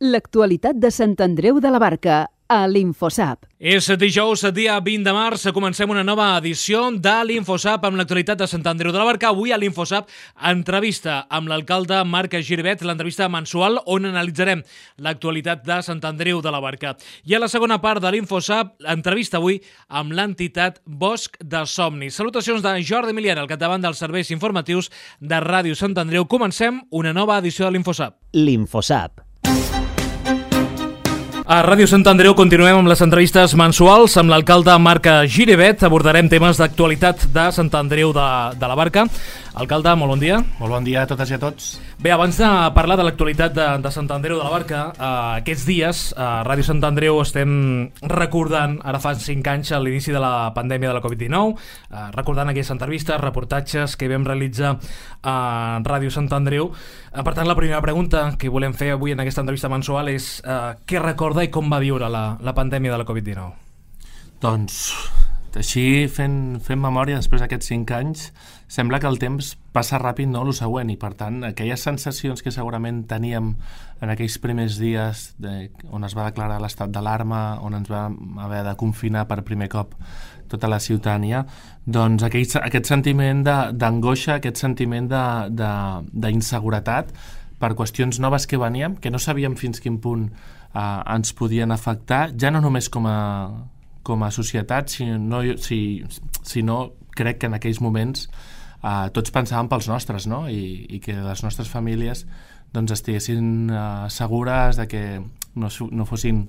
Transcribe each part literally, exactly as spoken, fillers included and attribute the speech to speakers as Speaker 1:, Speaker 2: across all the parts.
Speaker 1: L'actualitat de Sant Andreu de la Barca, a l'Infosap.
Speaker 2: És dijous, dia vint de març, comencem una nova edició de l'Infosap amb l'actualitat de Sant Andreu de la Barca. Avui a l'Infosap, entrevista amb l'alcalde Marc Giribet, l'entrevista mensual on analitzarem l'actualitat de Sant Andreu de la Barca. I a la segona part de l'Infosap, entrevista avui amb l'entitat Bosc de Somnis. Salutacions de Jordi Milian, al capdavant dels serveis informatius de Ràdio Sant Andreu. Comencem una nova edició de l'Infosap.
Speaker 3: L'Infosap.
Speaker 2: A Ràdio Sant Andreu continuem amb les entrevistes mensuals amb l'alcalde Marc Giribet. Abordarem temes d'actualitat de Sant Andreu de, de la Barca. Alcalde, molt bon dia.
Speaker 4: Molt bon dia a totes i a tots.
Speaker 2: Bé, abans de parlar de l'actualitat de, de Sant Andreu de la Barca, eh, aquests dies a Ràdio Sant Andreu estem recordant, ara fa cinc anys, a l'inici de la pandèmia de la covid dinou, eh, recordant aquelles entrevistes, reportatges que vam realitzar a Ràdio Sant Andreu. Eh, per tant, la primera pregunta que volem fer avui en aquesta entrevista mensual és eh, què recorda i com va viure la, la pandèmia de la covid dinou?
Speaker 4: Doncs, així, fent, fent memòria després d'aquests cinc anys, sembla que el temps passa ràpid, no?, el següent, i per tant, aquelles sensacions que segurament teníem en aquells primers dies de, on es va declarar l'estat d'alarma, on ens vam haver de confinar per primer cop tota la ciutadania, doncs aquell, aquest sentiment d'angoixa, aquest sentiment d'inseguretat per qüestions noves que veníem, que no sabíem fins quin punt eh, ens podien afectar, ja no només com a, com a societat, sinó, si, sinó crec que en aquells moments eh, tots pensàvem pels nostres, no? I, i que les nostres famílies doncs, estiguessin eh, segures de que no, no fossin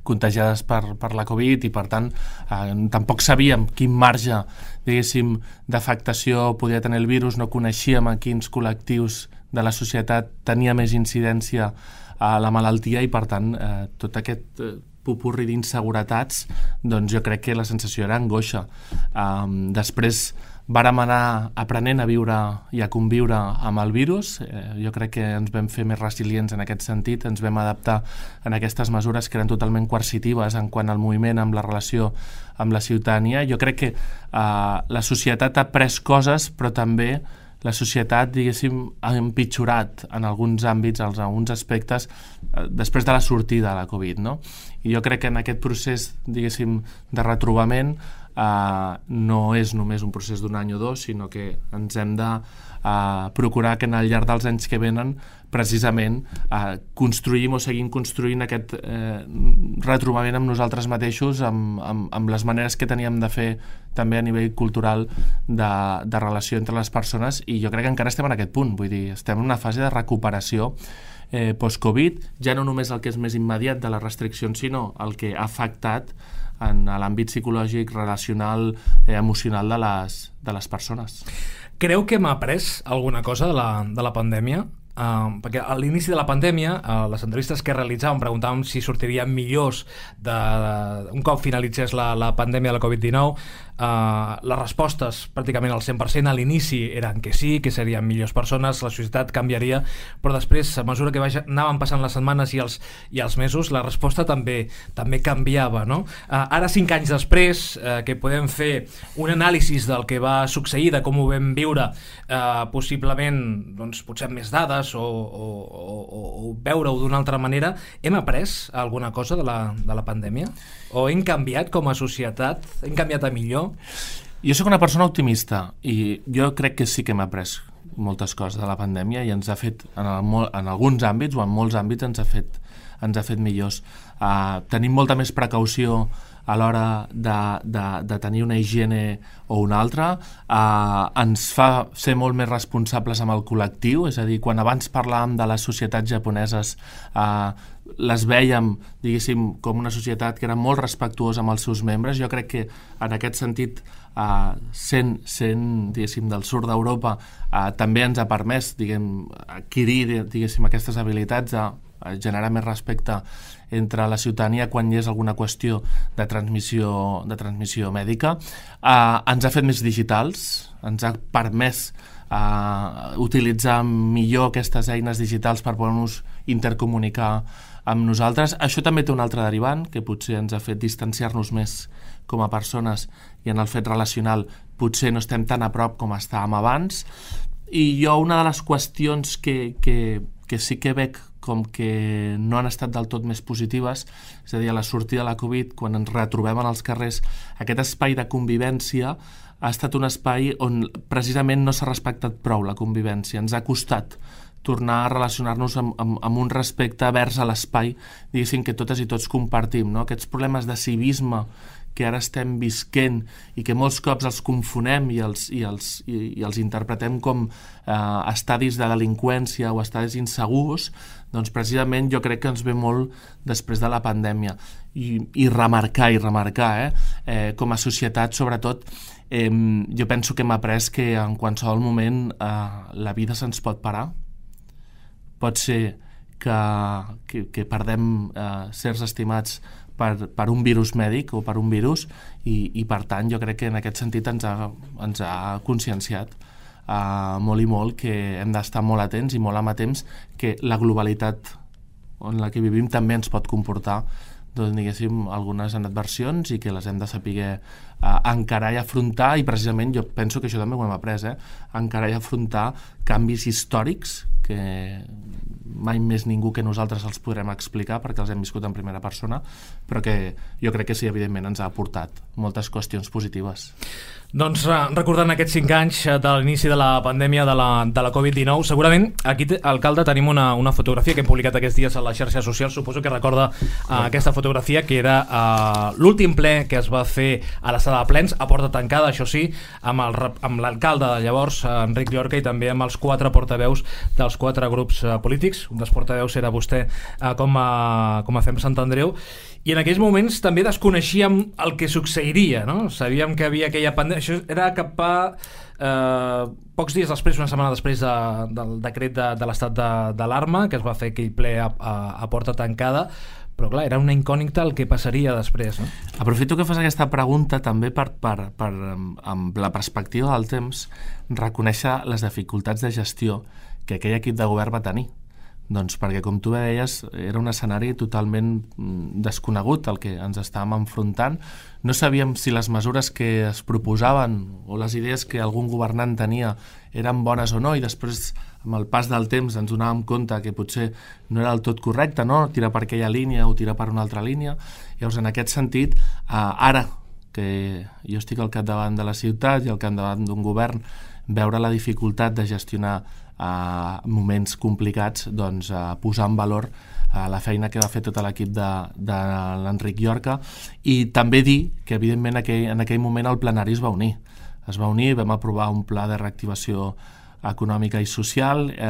Speaker 4: contagiades per, per la Covid i per tant eh, tampoc sabíem quin marge, diguéssim, d'afectació podia tenir el virus, no coneixíem a quins col·lectius de la societat tenia més incidència a la malaltia i per tant eh, tot aquest eh, popurri d'inseguretats, doncs jo crec que la sensació era angoixa. Um, després vàrem anar aprenent a viure i a conviure amb el virus. Eh, jo crec que ens vam fer més resilients en aquest sentit, ens vam adaptar en aquestes mesures que eren totalment coercitives en quant al moviment, amb la relació amb la ciutadania. Jo crec que eh, la societat ha pres coses, però també la societat, diguéssim, ha empitjorat en alguns àmbits, en alguns aspectes, eh, després de la sortida de la Covid, no? I jo crec que en aquest procés, diguéssim, de retrobament eh, no és només un procés d'un any o dos, sinó que ens hem de eh, procurar que al llarg dels anys que venen precisament eh, construïm o seguim construint aquest eh, retrobament amb nosaltres mateixos, amb, amb, amb les maneres que teníem de fer també a nivell cultural de, de relació entre les persones, i jo crec que encara estem en aquest punt, vull dir, estem en una fase de recuperació eh, post-Covid, ja no només el que és més immediat de les restriccions, sinó el que ha afectat en l'àmbit psicològic, relacional, eh, emocional de les, de les persones.
Speaker 2: Creu que hem après alguna cosa de la, de la pandèmia? Uh, perquè a l'inici de la pandèmia, a uh, les entrevistes que realitzàvem preguntàvem si sortirien millors de, de, un cop finalitzés la, la pandèmia de la covid dinou. Uh, les respostes pràcticament al cent per cent a l'inici eren que sí, que serien millors persones, la societat canviaria, però després, a mesura que vaja, anaven passant les setmanes i els, i els mesos, la resposta també, també canviava, no? Uh, ara, cinc anys després, uh, que podem fer un anàlisi del que va succeir, de com ho vam viure, uh, possiblement, doncs, potser amb més dades, o, o, o, o veure-ho d'una altra manera, hem après alguna cosa de la, de la pandèmia? O hem canviat com a societat? Hem canviat a millor?
Speaker 4: Jo sóc una persona optimista i jo crec que sí que hem après moltes coses de la pandèmia i ens ha fet, en, el, en alguns àmbits o en molts àmbits ens ha fet, ens ha fet millors. Uh, tenim molta més precaució a l'hora de, de, de tenir una higiene o una altra, eh, ens fa ser molt més responsables amb el col·lectiu, és a dir, quan abans parlàvem de les societats japoneses, eh, les vèiem, diguéssim, com una societat que era molt respectuosa amb els seus membres. Jo crec que en aquest sentit, eh, sent, sent diguéssim, del sud d'Europa, eh, també ens ha permès, diguem, adquirir, diguéssim, aquestes habilitats de generar més respecte entre la ciutadania quan hi és alguna qüestió de transmissió, de transmissió mèdica. Eh, ens ha fet més digitals, ens ha permès eh, utilitzar millor aquestes eines digitals per poder-nos intercomunicar amb nosaltres. Això també té un altre derivant, que potser ens ha fet distanciar-nos més com a persones i en el fet relacional potser no estem tan a prop com estàvem abans. I jo una de les qüestions que, que, que sí que veig com que no han estat del tot més positives, és a dir, a la sortida de la Covid, quan ens retrobem en els carrers, aquest espai de convivència ha estat un espai on precisament no s'ha respectat prou la convivència. Ens ha costat tornar a relacionar-nos amb, amb, amb un respecte vers a l'espai, diguéssim, que totes i tots compartim, no? Aquests problemes de civisme que ara estem visquent i que molts cops els confonem i els, i els, i, i els interpretem com eh, estadis de delinqüència o estadis insegurs, doncs precisament jo crec que ens ve molt després de la pandèmia. I, i remarcar, i remarcar, eh? Eh, com a societat, sobretot, eh, jo penso que hem après que en qualsevol moment eh, la vida se'ns pot parar. Pot ser que, que, que perdem eh, certs estimats per, per un virus mèdic o per un virus i, i per tant jo crec que en aquest sentit ens ha, ens ha conscienciat uh, molt i molt que hem d'estar molt atents i molt amatents que la globalitat en la que vivim també ens pot comportar doncs, diguéssim, algunes adversions i que les hem de saber uh, encarar i afrontar, i precisament jo penso que això també ho hem après, eh? encarar i afrontar canvis històrics que mai més ningú que nosaltres els podrem explicar perquè els hem viscut en primera persona, però que jo crec que sí, evidentment ens ha aportat moltes qüestions positives.
Speaker 2: Doncs recordant aquests cinc anys de l'inici de la pandèmia de la, de la covid dinou, segurament aquí, alcalde, tenim una, una fotografia que hem publicat aquests dies a les xarxes socials, suposo que recorda uh, aquesta fotografia, que era uh, l'últim ple que es va fer a la sala de plens, a porta tancada, això sí, amb, el, amb l'alcalde de llavors, Enric Llorca, i també amb els quatre portaveus dels quatre grups uh, polítics. Un dels portaveus era vostè uh, com, a, com a Fem Sant Andreu, i en aquells moments també desconeixíem el que succeiria, no? Sabíem que havia aquella pandèmia. Això era cap a eh, pocs dies després, una setmana després de, del decret de, de l'estat d'alarma, que es va fer aquell ple a, a, a porta tancada, però clar, era una incògnita el que passaria després, no?
Speaker 4: Aprofito que fas aquesta pregunta també per, per, per amb la perspectiva del temps, reconèixer les dificultats de gestió que aquell equip de govern va tenir. Doncs perquè, com tu deies, era un escenari totalment desconegut el que ens estàvem enfrontant. No sabíem si les mesures que es proposaven o les idees que algun governant tenia eren bones o no, i després, amb el pas del temps, ens donàvem compte que potser no era del tot correcte, no? Tirar per aquella línia o tirar per una altra línia. Llavors, en aquest sentit, eh, ara que jo estic al capdavant de la ciutat i al capdavant d'un govern, veure la dificultat de gestionar a uh, moments complicats, doncs uh, posar en valor uh, la feina que va fer tot l'equip de, de l'Enric Llorca, i també dir que evidentment aquell, en aquell moment el plenari es va unir es va unir, vam aprovar un pla de reactivació econòmica i social, eh,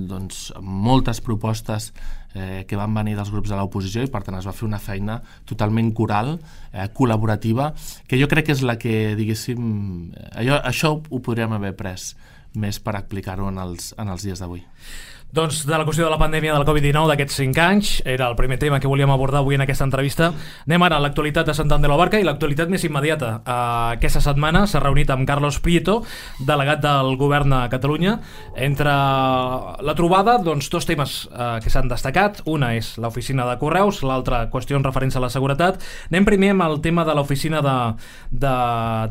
Speaker 4: doncs moltes propostes eh, que van venir dels grups de l'oposició, i per tant es va fer una feina totalment coral, eh, col·laborativa, que jo crec que és la que, diguéssim, allò, això ho podríem haver pres més per explicar-ho en els, en els dies d'avui.
Speaker 2: Doncs de la qüestió de la pandèmia del covid dinou d'aquests cinc anys, era el primer tema que volíem abordar avui en aquesta entrevista. Anem ara a l'actualitat de Sant Andreu de la Barca, i l'actualitat més immediata. Uh, aquesta setmana s'ha reunit amb Carlos Prieto, delegat del govern de Catalunya. Entre la trobada, doncs, dos temes uh, que s'han destacat. Una és l'oficina de correus, l'altra qüestió en referència a la seguretat. Anem primer amb el tema de l'oficina de, de,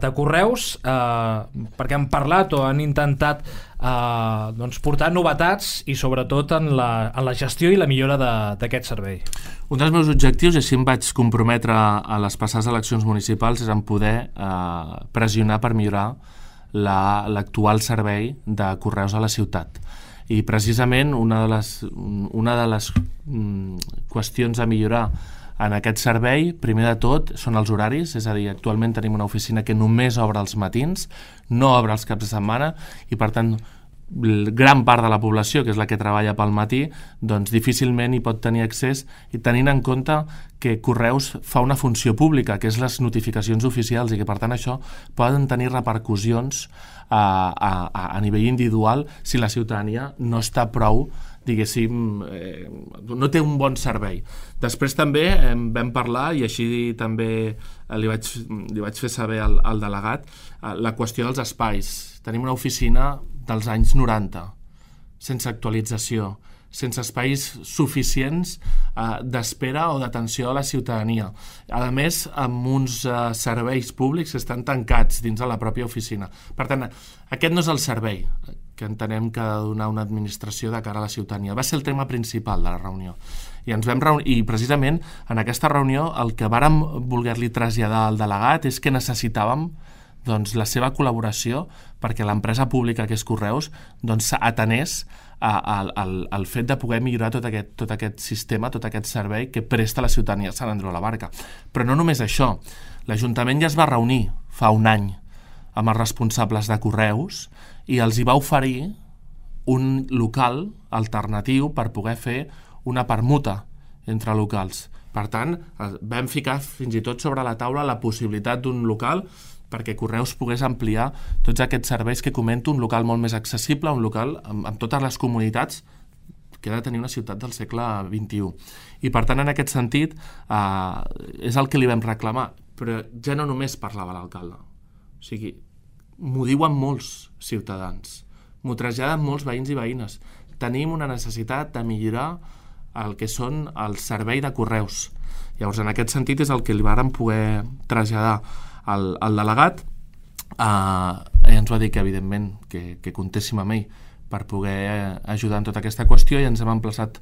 Speaker 2: de correus, uh, perquè han parlat o han intentat Uh, doncs portar novetats i sobretot en la, en la gestió i la millora d'aquest servei.
Speaker 4: Un dels meus objectius, i així em vaig comprometre a les passades eleccions municipals, és en poder uh, pressionar per millorar l'actual la, servei de correus a la ciutat. I precisament una de les, una de les um, qüestions a millorar en aquest servei, primer de tot, són els horaris, és a dir, actualment tenim una oficina que només obre els matins, no obre els caps de setmana, i per tant gran part de la població, que és la que treballa pel matí, doncs difícilment hi pot tenir accés, i tenint en compte que Correus fa una funció pública, que és les notificacions oficials, i que per tant això poden tenir repercussions a, a, a nivell individual si la ciutadania no està prou, diguéssim, eh, no té un bon servei. Després també eh, vam parlar, i així també eh, li, vaig, li vaig fer saber al, al delegat, eh, la qüestió dels espais. Tenim una oficina dels anys noranta, sense actualització, sense espais suficients eh, d'espera o d'atenció a la ciutadania. A més, amb uns eh, serveis públics que estan tancats dins de la pròpia oficina. Per tant, aquest no és el servei que entenem que ha de donar una administració de cara a la ciutadania. Va ser el tema principal de la reunió. I ens vam reunir, i precisament en aquesta reunió el que vàrem voler-li traslladar al delegat és que necessitàvem doncs, la seva col·laboració perquè l'empresa pública que és Correus doncs, atenés al fet de poder millorar tot aquest, tot aquest sistema, tot aquest servei que presta la ciutadania de Sant Andreu de la Barca. Però no només això, l'Ajuntament ja es va reunir fa un any amb els responsables de Correus i els hi va oferir un local alternatiu per poder fer una permuta entre locals. Per tant, vam ficar fins i tot sobre la taula la possibilitat d'un local perquè Correus pogués ampliar tots aquests serveis que comento, un local molt més accessible, un local amb, amb totes les comoditats que ha de tenir una ciutat del segle vint-i-u. I per tant, en aquest sentit, eh, és el que li vam reclamar. Però ja no només parlava l'alcalde. O sigui, m'ho diuen molts ciutadans, m'ho traslladen molts veïns i veïnes. Tenim una necessitat de millorar el que són el servei de Correus. Llavors, en aquest sentit, és el que li vàrem poder traslladar al, al delegat. Uh, i ens va dir que, evidentment, que, que comptéssim amb ell per poder ajudar en tota aquesta qüestió i ens hem emplaçat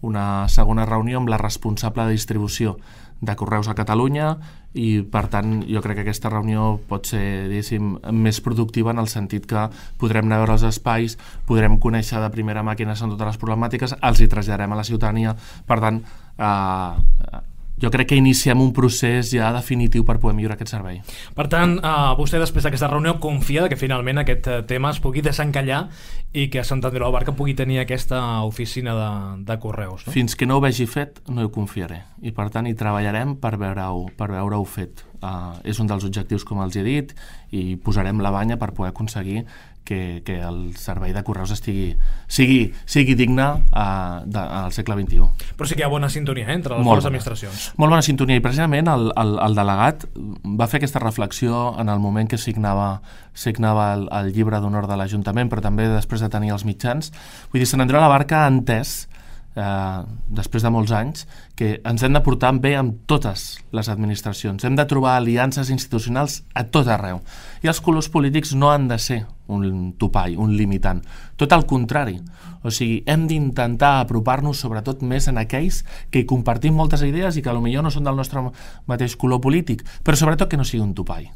Speaker 4: una segona reunió amb la responsable de distribució de Correus a Catalunya i, per tant, jo crec que aquesta reunió pot ser, diguéssim, més productiva en el sentit que podrem anar a veure els espais, podrem conèixer de primera mà quines són totes les problemàtiques, els hi traslladarem a la ciutadania. Per tant, eh, jo crec que iniciem un procés ja definitiu per poder millorar aquest servei.
Speaker 2: Per tant, eh, vostè després d'aquesta reunió confia que finalment aquest tema es pugui desencallar i que Sant Andreu de la Barca pugui tenir aquesta oficina de, de Correus, no?
Speaker 4: Fins que no ho vegi fet, no hi confiaré. I per tant, hi treballarem per veure-ho per veure-ho fet. Uh, és un dels objectius, com els he dit, i posarem la banya per poder aconseguir que, que el servei de Correus estigui, sigui, sigui digne uh, de, al segle vint-i-u.
Speaker 2: Però sí que hi ha bona sintonia eh, entre les
Speaker 4: Molt
Speaker 2: dues administracions.
Speaker 4: Molt bona sintonia, i precisament el, el, el delegat va fer aquesta reflexió en el moment que signava, signava el, el llibre d'honor de l'Ajuntament, però també després de tenir els mitjans. Vull dir, Sant Andreu de la Barca ha entès, eh, després de molts anys, que ens hem de portar bé amb totes les administracions. Hem de trobar aliances institucionals a tot arreu. I els colors polítics no han de ser un topall, un limitant. Tot el contrari. O sigui, hem d'intentar apropar-nos sobretot més en aquells que hi compartim moltes idees i que potser no són del nostre mateix color polític, però sobretot que no sigui un topall.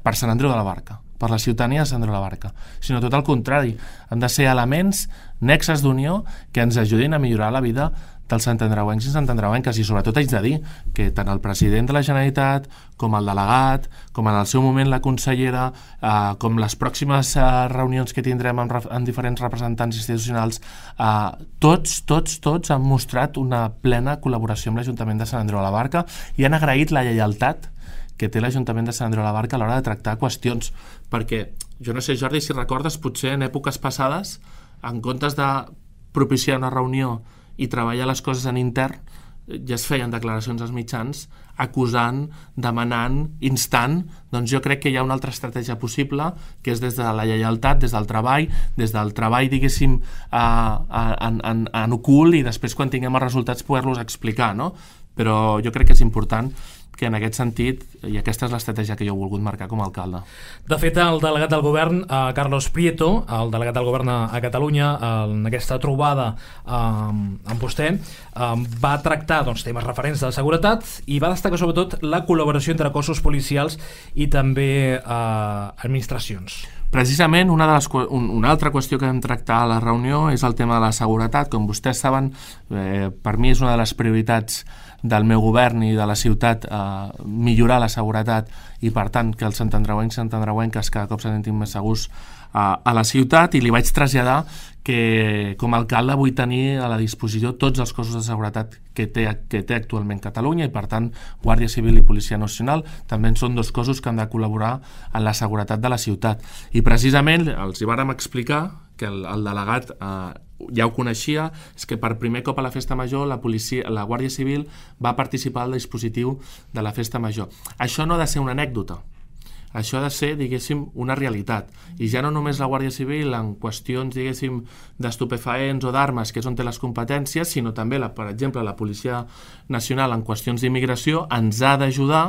Speaker 4: Per Sant Andreu de la Barca, per la ciutadania de Sant Andreu de la Barca, sinó tot el contrari. Han de ser elements, nexes d'unió, que ens ajudin a millorar la vida dels santandreuencs i santandreuenques. I sobretot haig de dir que tant el president de la Generalitat com el delegat, com en el seu moment la consellera, eh, com les pròximes eh, reunions que tindrem amb, amb diferents representants institucionals, eh, tots, tots, tots han mostrat una plena col·laboració amb l'Ajuntament de Sant Andreu de la Barca i han agraït la lleialtat que té l'Ajuntament de Sant Andreu de la Barca a l'hora de tractar qüestions, perquè, jo no sé, Jordi, si recordes, potser en èpoques passades, en comptes de propiciar una reunió i treballar les coses en intern, ja es feien declaracions als mitjans acusant, demanant, instant. Doncs jo crec que hi ha una altra estratègia possible, que és des de la lleialtat, des del treball, des del treball, diguéssim, en, en, en ocult, i després, quan tinguem els resultats, poder-los explicar, no? Però jo crec que és important que en aquest sentit, i aquesta és l'estratègia que jo he volgut marcar com a alcalde.
Speaker 2: De fet, el delegat del govern, eh, Carlos Prieto, el delegat del govern a, a Catalunya, eh, en aquesta trobada eh, amb vostè, eh, va tractar doncs, temes referents de seguretat i va destacar sobretot la col·laboració entre cossos policials i també eh, administracions.
Speaker 4: Precisament, una, de les, una altra qüestió que vam tractar a la reunió és el tema de la seguretat. Com vostès saben, eh, per mi és una de les prioritats del meu govern i de la ciutat, eh, millorar la seguretat i, per tant, que els santandreuencs i santandreuenques cada cop se sentin més segurs eh, a la ciutat, i li vaig traslladar que com a alcalde vull tenir a la disposició tots els cossos de seguretat que té, que té actualment Catalunya, i per tant Guàrdia Civil i Policia Nacional també són dos cossos que han de col·laborar en la seguretat de la ciutat. I precisament els hi vàrem explicar que el, el delegat eh, ja ho coneixia, és que per primer cop a la Festa Major la, policia, la Guàrdia Civil va participar al dispositiu de la Festa Major. Això no ha de ser una anècdota, això ha de ser, diguéssim, una realitat. I ja no només la Guàrdia Civil en qüestions, diguéssim, d'estupefaents o d'armes, que és on té les competències, sinó també, la, per exemple, la Policia Nacional en qüestions d'immigració ens ha d'ajudar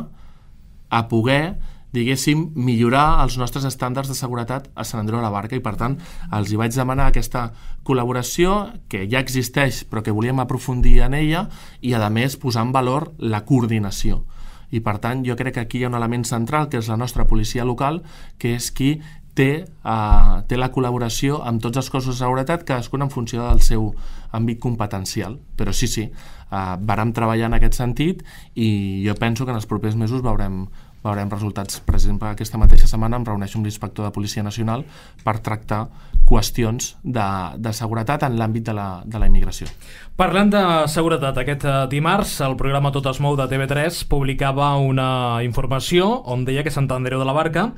Speaker 4: a poder diguéssim, millorar els nostres estàndards de seguretat a Sant Andreu de la Barca, i per tant els hi vaig demanar aquesta col·laboració que ja existeix però que volíem aprofundir en ella i a més posar en valor la coordinació. I per tant jo crec que aquí hi ha un element central que és la nostra policia local, que és qui té, uh, té la col·laboració amb tots els cossos de seguretat, cadascun en funció del seu àmbit competencial. Però sí, sí, uh, vàrem treballar en aquest sentit i jo penso que en els propers mesos veurem veurem resultats. Per exemple, aquesta mateixa setmana em reuneixo amb l'inspector de Policia Nacional per tractar qüestions de, de seguretat en l'àmbit de la, de la immigració.
Speaker 2: Parlant de seguretat, aquest dimarts el programa Tot es mou de T V tres publicava una informació on deia que Sant Andreu de la Barca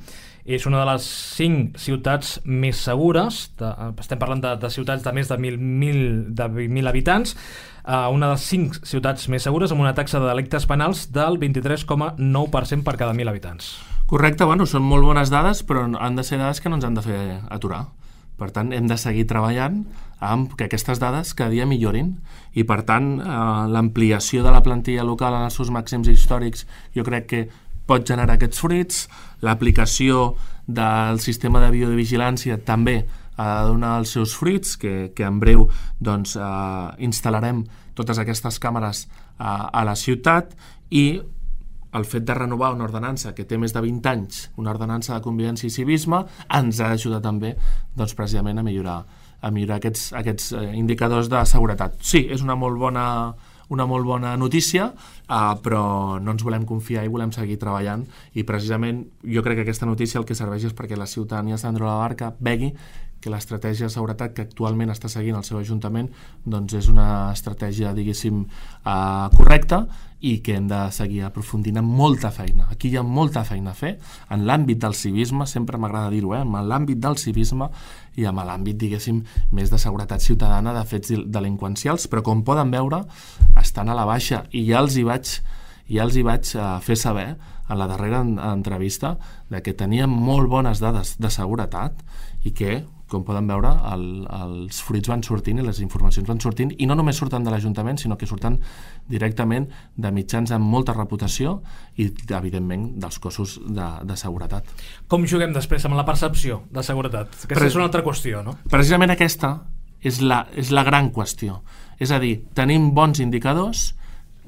Speaker 2: és una de les cinc ciutats més segures, de, estem parlant de, de ciutats de més de mil habitants, Uh, una de les cinc ciutats més segures amb una taxa de delictes penals del vint-i-tres coma nou per cent per cada mil habitants.
Speaker 4: Correcte, bueno, són molt bones dades, però han de ser dades que no ens han de fer aturar. Per tant, hem de seguir treballant amb que aquestes dades cada dia millorin i, per tant, eh, l'ampliació de la plantilla local en els seus màxims històrics jo crec que pot generar aquests fruits, l'aplicació del sistema de videovigilància també ha de donar els seus fruits, que, que en breu doncs, eh, instal·larem totes aquestes càmeres eh, a la ciutat, i el fet de renovar una ordenança que té més de vint anys, una ordenança de convivència i civisme, ens ha d'ajudar també doncs, precisament a millorar, a millorar aquests, aquests indicadors de seguretat. Sí, és una molt bona, una molt bona notícia, eh, però no ens volem confiar i volem seguir treballant, i precisament jo crec que aquesta notícia el que serveix és perquè la ciutadania de Sant Andreu de la Barca vegi que l'estratègia de seguretat que actualment està seguint el seu ajuntament doncs és una estratègia, diguéssim, eh, correcta, i que hem de seguir aprofundint amb molta feina. Aquí hi ha molta feina a fer en l'àmbit del civisme, sempre m'agrada dir-ho, eh? en l'àmbit del civisme i en l'àmbit, diguéssim, més de seguretat ciutadana, de fets delinqüencials, però com poden veure, estan a la baixa, i ja els hi vaig, ja els hi vaig uh, fer saber en la darrera entrevista de que teníem molt bones dades de seguretat i que, com poden veure, el, els fruits van sortint i les informacions van sortint, i no només surten de l'Ajuntament, sinó que surten directament de mitjans amb molta reputació i, evidentment, dels cossos de, de seguretat.
Speaker 2: Com juguem després amb la percepció de seguretat? Aquesta Pre- és una altra qüestió, no?
Speaker 4: Precisament aquesta és la, és la gran qüestió. És a dir, tenim bons indicadors,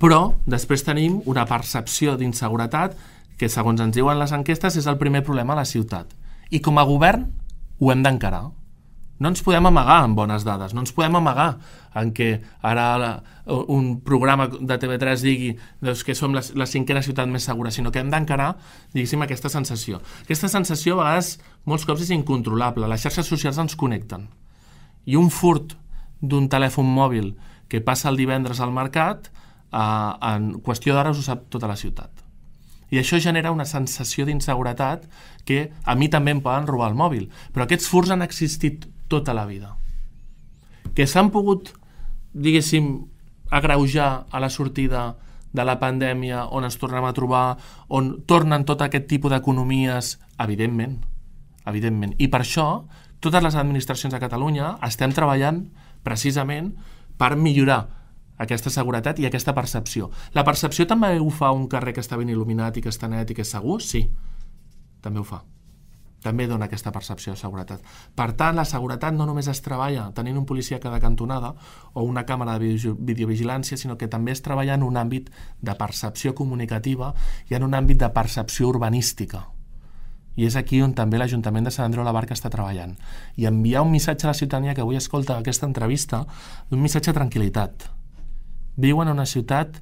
Speaker 4: però després tenim una percepció d'inseguretat que, segons ens diuen les enquestes, és el primer problema a la ciutat. I com a govern ho hem d'encarar. No ens podem amagar amb bones dades, no ens podem amagar en què ara la, un programa de T V tres digui doncs, que som la, la cinquena ciutat més segura, sinó que hem d'encarar, diguéssim, aquesta sensació. Aquesta sensació a vegades, molts cops, és incontrolable. Les xarxes socials ens connecten. I un furt d'un telèfon mòbil que passa el divendres al mercat, eh, en qüestió d'hores ho sap tota la ciutat. I això genera una sensació d'inseguretat que a mi també em poden robar el mòbil. Però aquests furts han existit tota la vida. Que s'han pogut, diguéssim, agreujar a la sortida de la pandèmia, on ens tornem a trobar, on tornen tot aquest tipus d'economies, evidentment. evidentment. I per això, totes les administracions de Catalunya estem treballant precisament per millorar aquesta seguretat i aquesta percepció. La percepció també ho fa un carrer que està ben il·luminat i que està net i que és segur? Sí, també ho fa. També dona aquesta percepció de seguretat. Per tant, la seguretat no només es treballa tenint un policia a cada cantonada o una càmera de videovigilància, sinó que també es treballa en un àmbit de percepció comunicativa i en un àmbit de percepció urbanística. I és aquí on també l'Ajuntament de Sant Andreu de la Barca està treballant. I enviar un missatge a la ciutadania que avui escolta aquesta entrevista, un missatge de tranquil·litat. Viuen en una ciutat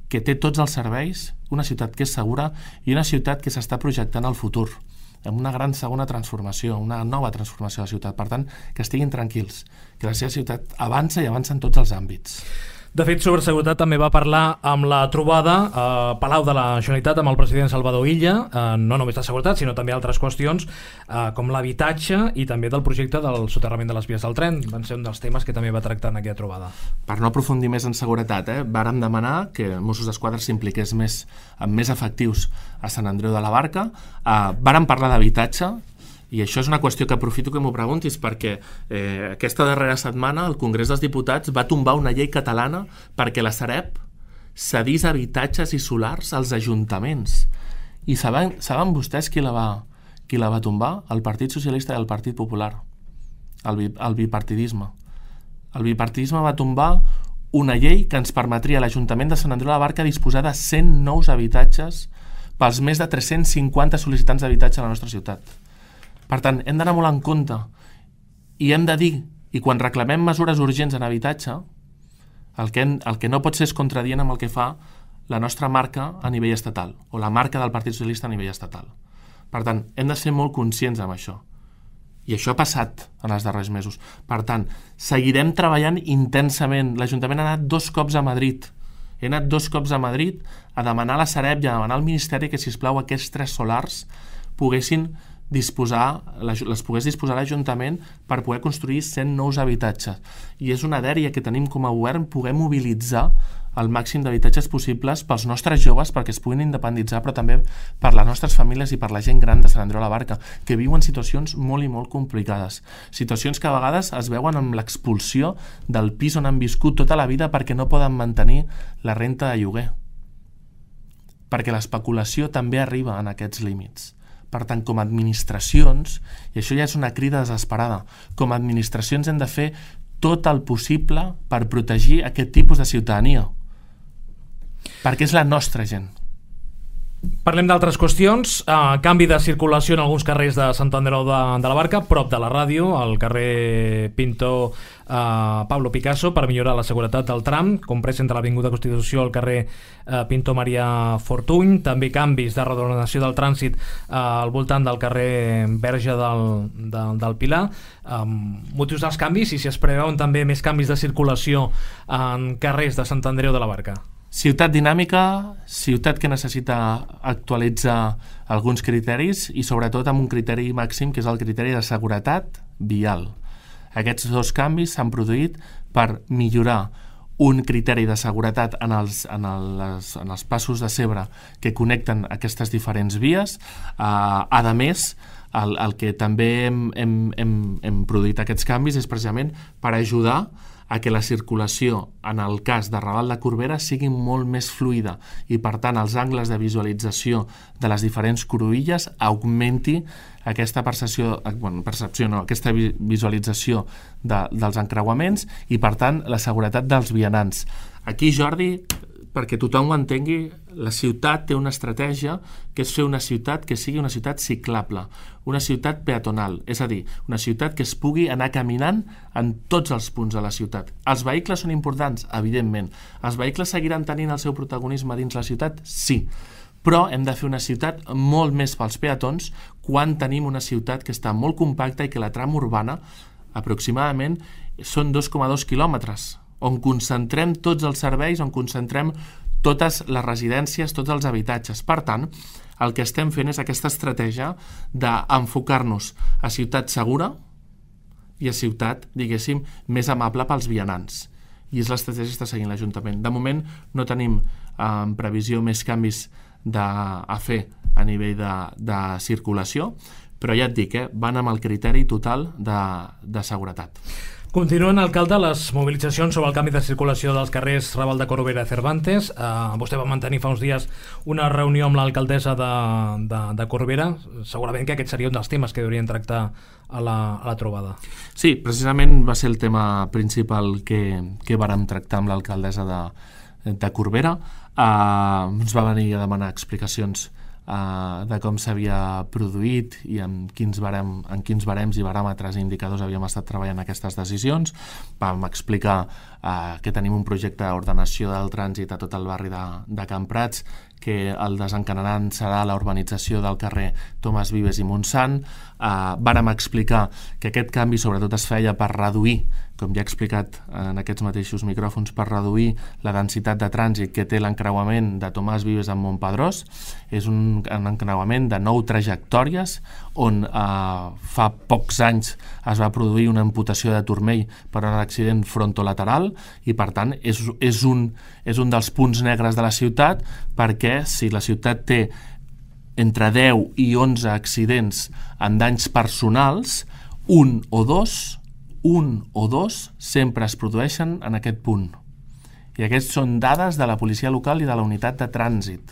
Speaker 4: que té tots els serveis, una ciutat que és segura i una ciutat que s'està projectant al futur, amb una gran segona transformació, una nova transformació de la ciutat. Per tant, que estiguin tranquils, que la seva ciutat avança i avança en tots els àmbits.
Speaker 2: De fet, sobre seguretat també va parlar amb la trobada a Palau de la Generalitat amb el president Salvador Illa, eh, no només de seguretat, sinó també altres qüestions eh, com l'habitatge i també del projecte del soterrament de les vies del tren. Van ser un dels temes que també va tractar en aquella trobada.
Speaker 4: Per no aprofundir més en seguretat, eh, vàrem demanar que Mossos d'Esquadra s'impliqués més, amb més efectius a Sant Andreu de la Barca. Eh, vàrem parlar d'habitatge, i això és una qüestió que aprofito que m'ho preguntis, perquè eh, aquesta darrera setmana el Congrés dels Diputats va tombar una llei catalana perquè la Sareb cedís habitatges i solars als ajuntaments. I saben, saben vostès qui la, va, qui la va tombar? El Partit Socialista i el Partit Popular. El, bi, el bipartidisme. El bipartidisme va tombar una llei que ens permetria a l'Ajuntament de Sant Andreu de la Barca disposar de cent nous habitatges pels més de tres-cents cinquanta sol·licitants d'habitatge a la nostra ciutat. Per tant, hem d'anar molt en compte i hem de dir, i quan reclamem mesures urgents en habitatge, el que, el que no pot ser és contradient amb el que fa la nostra marca a nivell estatal, o la marca del Partit Socialista a nivell estatal. Per tant, hem de ser molt conscients amb això. I això ha passat en els darrers mesos. Per tant, seguirem treballant intensament. L'Ajuntament ha anat dos cops a Madrid. He anat dos cops a Madrid a demanar a la Sareb i a demanar al Ministeri que, sisplau, aquests tres solars poguessin disposar, les pogués disposar l'Ajuntament per poder construir cent nous habitatges. I és una dèria que tenim com a govern poder mobilitzar el màxim d'habitatges possibles pels nostres joves perquè es puguin independitzar, però també per les nostres famílies i per la gent gran de Sant Andreu de la Barca, que viuen situacions molt i molt complicades. Situacions que a vegades es veuen amb l'expulsió del pis on han viscut tota la vida perquè no poden mantenir la renta de lloguer. Perquè l'especulació també arriba en aquests límits. Per tant, com a administracions, i això ja és una crida desesperada, com a administracions hem de fer tot el possible per protegir aquest tipus de ciutadania, perquè és la nostra gent.
Speaker 2: Parlem d'altres qüestions. Uh, canvi de circulació en alguns carrers de Sant Andreu de, de la Barca, prop de la ràdio, al carrer Pinto uh, Pablo Picasso, per millorar la seguretat del tram, comprès entre l'Avinguda Constitució al carrer uh, Pinto Maria Fortuny. També canvis de reordenació del trànsit uh, al voltant del carrer Verge del, de, del Pilar. Um, motius dels canvis i si es preveuen també més canvis de circulació en carrers de Sant Andreu de la Barca.
Speaker 4: Ciutat dinàmica, ciutat que necessita actualitzar alguns criteris i sobretot amb un criteri màxim que és el criteri de seguretat vial. Aquests dos canvis s'han produït per millorar un criteri de seguretat en els, en els, en els passos de zebra que connecten aquestes diferents vies. Uh, a més, el, el que també hem, hem, hem, hem produït aquests canvis és precisament per ajudar a que la circulació en el cas de Raval de Corbera sigui molt més fluida i per tant els angles de visualització de les diferents cruïlles augmenti aquesta percepció, bueno, percepció no, aquesta visualització de, dels encreuaments i per tant la seguretat dels vianants. Aquí, Jordi, perquè tothom ho entengui, la ciutat té una estratègia que és fer una ciutat que sigui una ciutat ciclable, una ciutat peatonal, és a dir, una ciutat que es pugui anar caminant en tots els punts de la ciutat. Els vehicles són importants? Evidentment. Els vehicles seguiran tenint el seu protagonisme dins la ciutat? Sí. Però hem de fer una ciutat molt més pels peatons quan tenim una ciutat que està molt compacta i que la trama urbana aproximadament són dos coma dos quilòmetres, on concentrem tots els serveis, on concentrem totes les residències, tots els habitatges. Per tant, el que estem fent és aquesta estratègia d'enfocar-nos a ciutat segura i a ciutat, diguéssim, més amable pels vianants. I és l'estratègia que està seguint l'Ajuntament. De moment no tenim en eh, previsió més canvis de, a fer a nivell de, de circulació, però ja et dic, eh, van amb el criteri total de, de seguretat.
Speaker 2: Continuen, alcalde, les mobilitzacions sobre el canvi de circulació dels carrers Raval de Corbera i Cervantes. Uh, vostè va mantenir fa uns dies una reunió amb l'alcaldessa de, de, de Corbera. Segurament que aquest seria un dels temes que haurien tractar a la, a la trobada.
Speaker 4: Sí, precisament va ser el tema principal que, que vàrem tractar amb l'alcaldessa de, de Corbera. Uh, ens va venir a demanar explicacions Uh, de com s'havia produït i en quins, barem, en quins barems i baròmetres i indicadors havíem estat treballant aquestes decisions. Vam explicar uh, que tenim un projecte d'ordenació del trànsit a tot el barri de, de Can Prats, que el desencadenant serà la urbanització del carrer Tomàs Vives i Montsant. Uh, vàrem explicar que aquest canvi sobretot es feia per reduir, com ja he explicat en aquests mateixos micròfons, per reduir la densitat de trànsit que té l'encreuament de Tomàs Vives amb Montpedrós. És un, un encreuament de nou trajectòries on uh, fa pocs anys es va produir una amputació de turmell per un accident frontolateral i per tant és, és, un, és un dels punts negres de la ciutat, perquè si la ciutat té entre deu i onze accidents en danys personals, un o dos un o dos sempre es produeixen en aquest punt. I aquests són dades de la policia local i de la unitat de trànsit.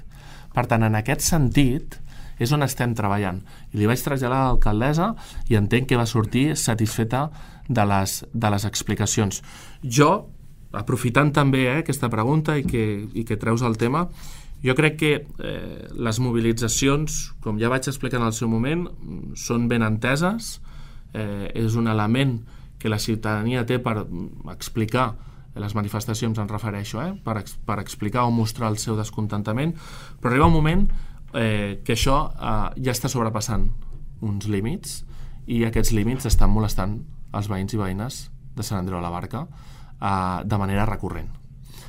Speaker 4: Per tant, en aquest sentit, és on estem treballant. I li vaig traslladar a l'alcaldessa i entenc que va sortir satisfeta de les, de les explicacions. Jo, aprofitant també eh, aquesta pregunta i que, i que treus el tema, jo crec que eh, les mobilitzacions, com ja vaig explicar en el seu moment, són ben enteses, eh, és un element que la ciutadania té per explicar les manifestacions, em refereixo, eh, per, per explicar o mostrar el seu descontentament, però arriba un moment eh, que això eh, ja està sobrepassant uns límits i aquests límits estan molestant els veïns i veïnes de Sant Andreu de la Barca eh, de manera recurrent.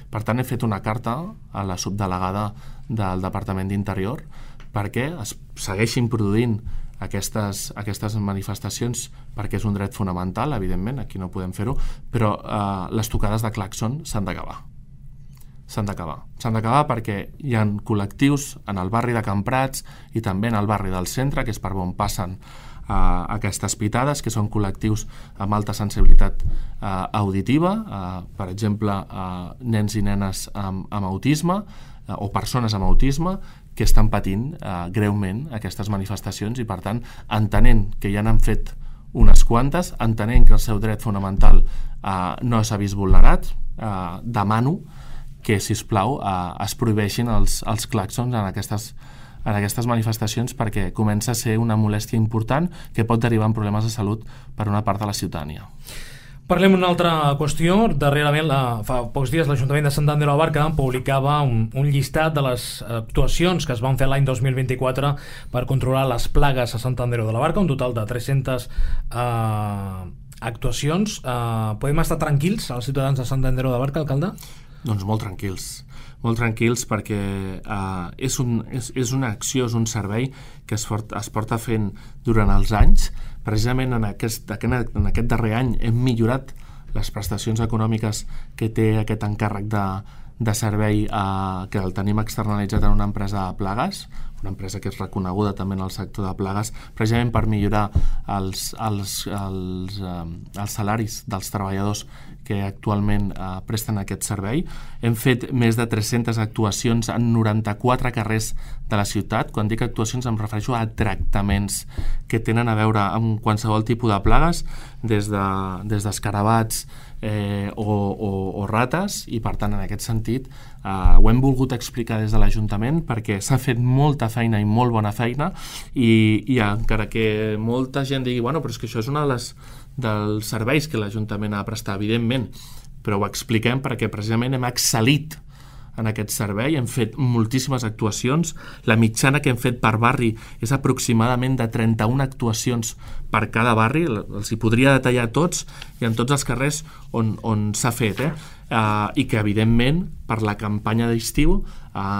Speaker 4: Per tant, he fet una carta a la subdelegada del Departament d'Interior perquè es segueixin produint aquestes, aquestes manifestacions, perquè és un dret fonamental, evidentment, aquí no podem fer-ho, però eh, les tocades de claxon s'han d'acabar. S'han d'acabar. S'han d'acabar perquè hi ha col·lectius en el barri de Can Prats i també en el barri del centre, que és per on passen eh, aquestes pitades, que són col·lectius amb alta sensibilitat eh, auditiva, eh, per exemple, eh, nens i nenes amb, amb autisme, eh, o persones amb autisme, que estan patint eh, greument aquestes manifestacions i, per tant, entenent que ja n'han fet unes quantes, entenent que el seu dret fonamental eh, no s'ha vist vulnerat, eh, demano que, sisplau, eh, es prohibeixin els, els claxons en aquestes, en aquestes manifestacions perquè comença a ser una molèstia important que pot derivar en problemes de salut per una part de la ciutadania.
Speaker 2: Parlem d'una altra qüestió. Darrerament, la, fa pocs dies, l'Ajuntament de Sant Andreu de la Barca publicava un, un llistat de les actuacions que es van fer l'any dos mil vint-i-quatre per controlar les plagues a Sant Andreu de la Barca, un total de tres-centes eh, actuacions. Eh, podem estar tranquils, els ciutadans de Sant Andreu de la Barca, alcalde?
Speaker 4: Doncs molt tranquils. Molt tranquils perquè eh, és, un, és, és una acció, és un servei que es, fort, es porta fent durant els anys. Precisament en aquest, en aquest darrer any hem millorat les prestacions econòmiques que té aquest encàrrec de, de servei eh, que el tenim externalitzat en una empresa de plagues, una empresa que és reconeguda també en el sector de plagues, precisament per millorar els, els, els, eh, els salaris dels treballadors que actualment eh, presten aquest servei. Hem fet més de tres-centes actuacions en noranta-quatre carrers de la ciutat. Quan dic actuacions em refereixo a tractaments que tenen a veure amb qualsevol tipus de plagues, des de, des d'escarabats eh, o, o, o rates, i per tant en aquest sentit eh, ho hem volgut explicar des de l'Ajuntament perquè s'ha fet molta feina i molt bona feina i, i encara que molta gent digui bueno, però és que això és una de les dels serveis que l'Ajuntament ha de prestar, evidentment, però ho expliquem perquè precisament hem excel·lit en aquest servei, hem fet moltíssimes actuacions, la mitjana que hem fet per barri és aproximadament de trenta-una actuacions per cada barri, els hi podria detallar tots i en tots els carrers on, on s'ha fet, eh? Uh, i que evidentment per la campanya d'estiu uh,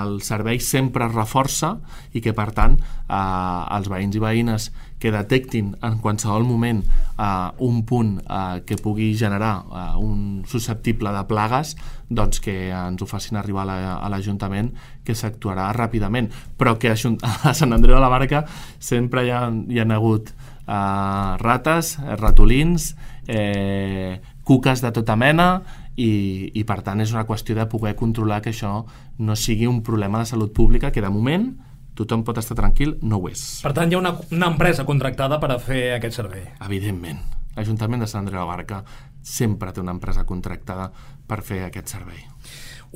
Speaker 4: el servei sempre es reforça i que per tant uh, els veïns i veïnes que detectin en qualsevol moment uh, un punt uh, que pugui generar uh, un susceptible de plagues, doncs que ens ho facin arribar a l'Ajuntament, que s'actuarà ràpidament, però que a Sant Andreu de la Barca sempre hi ha, hi ha hagut uh, rates, ratolins, eh, cuques de tota mena, i, i per tant és una qüestió de poder controlar que això no sigui un problema de salut pública, que de moment tothom pot estar tranquil, no ho és.
Speaker 2: Per tant, hi ha una, una empresa contractada per a fer aquest servei.
Speaker 4: Evidentment. L'Ajuntament de Sant Andreu de la Barca sempre té una empresa contractada per fer aquest servei.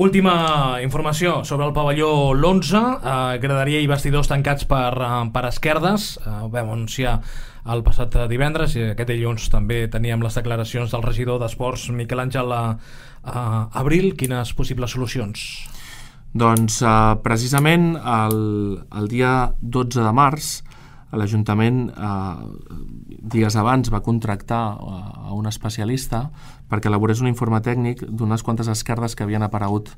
Speaker 2: Última informació sobre el pavelló l'onze, eh, graderia i vestidors tancats per, per esquerdes. Eh, ho vam anunciar el passat divendres i aquest dilluns també teníem les declaracions del regidor d'Esports, Miquel Àngel Abril. Quines possibles solucions?
Speaker 4: Doncs eh, precisament el, el dia dotze de març l'Ajuntament eh, dies abans va contractar a un especialista perquè elaborés un informe tècnic d'unes quantes esquerdes que havien aparegut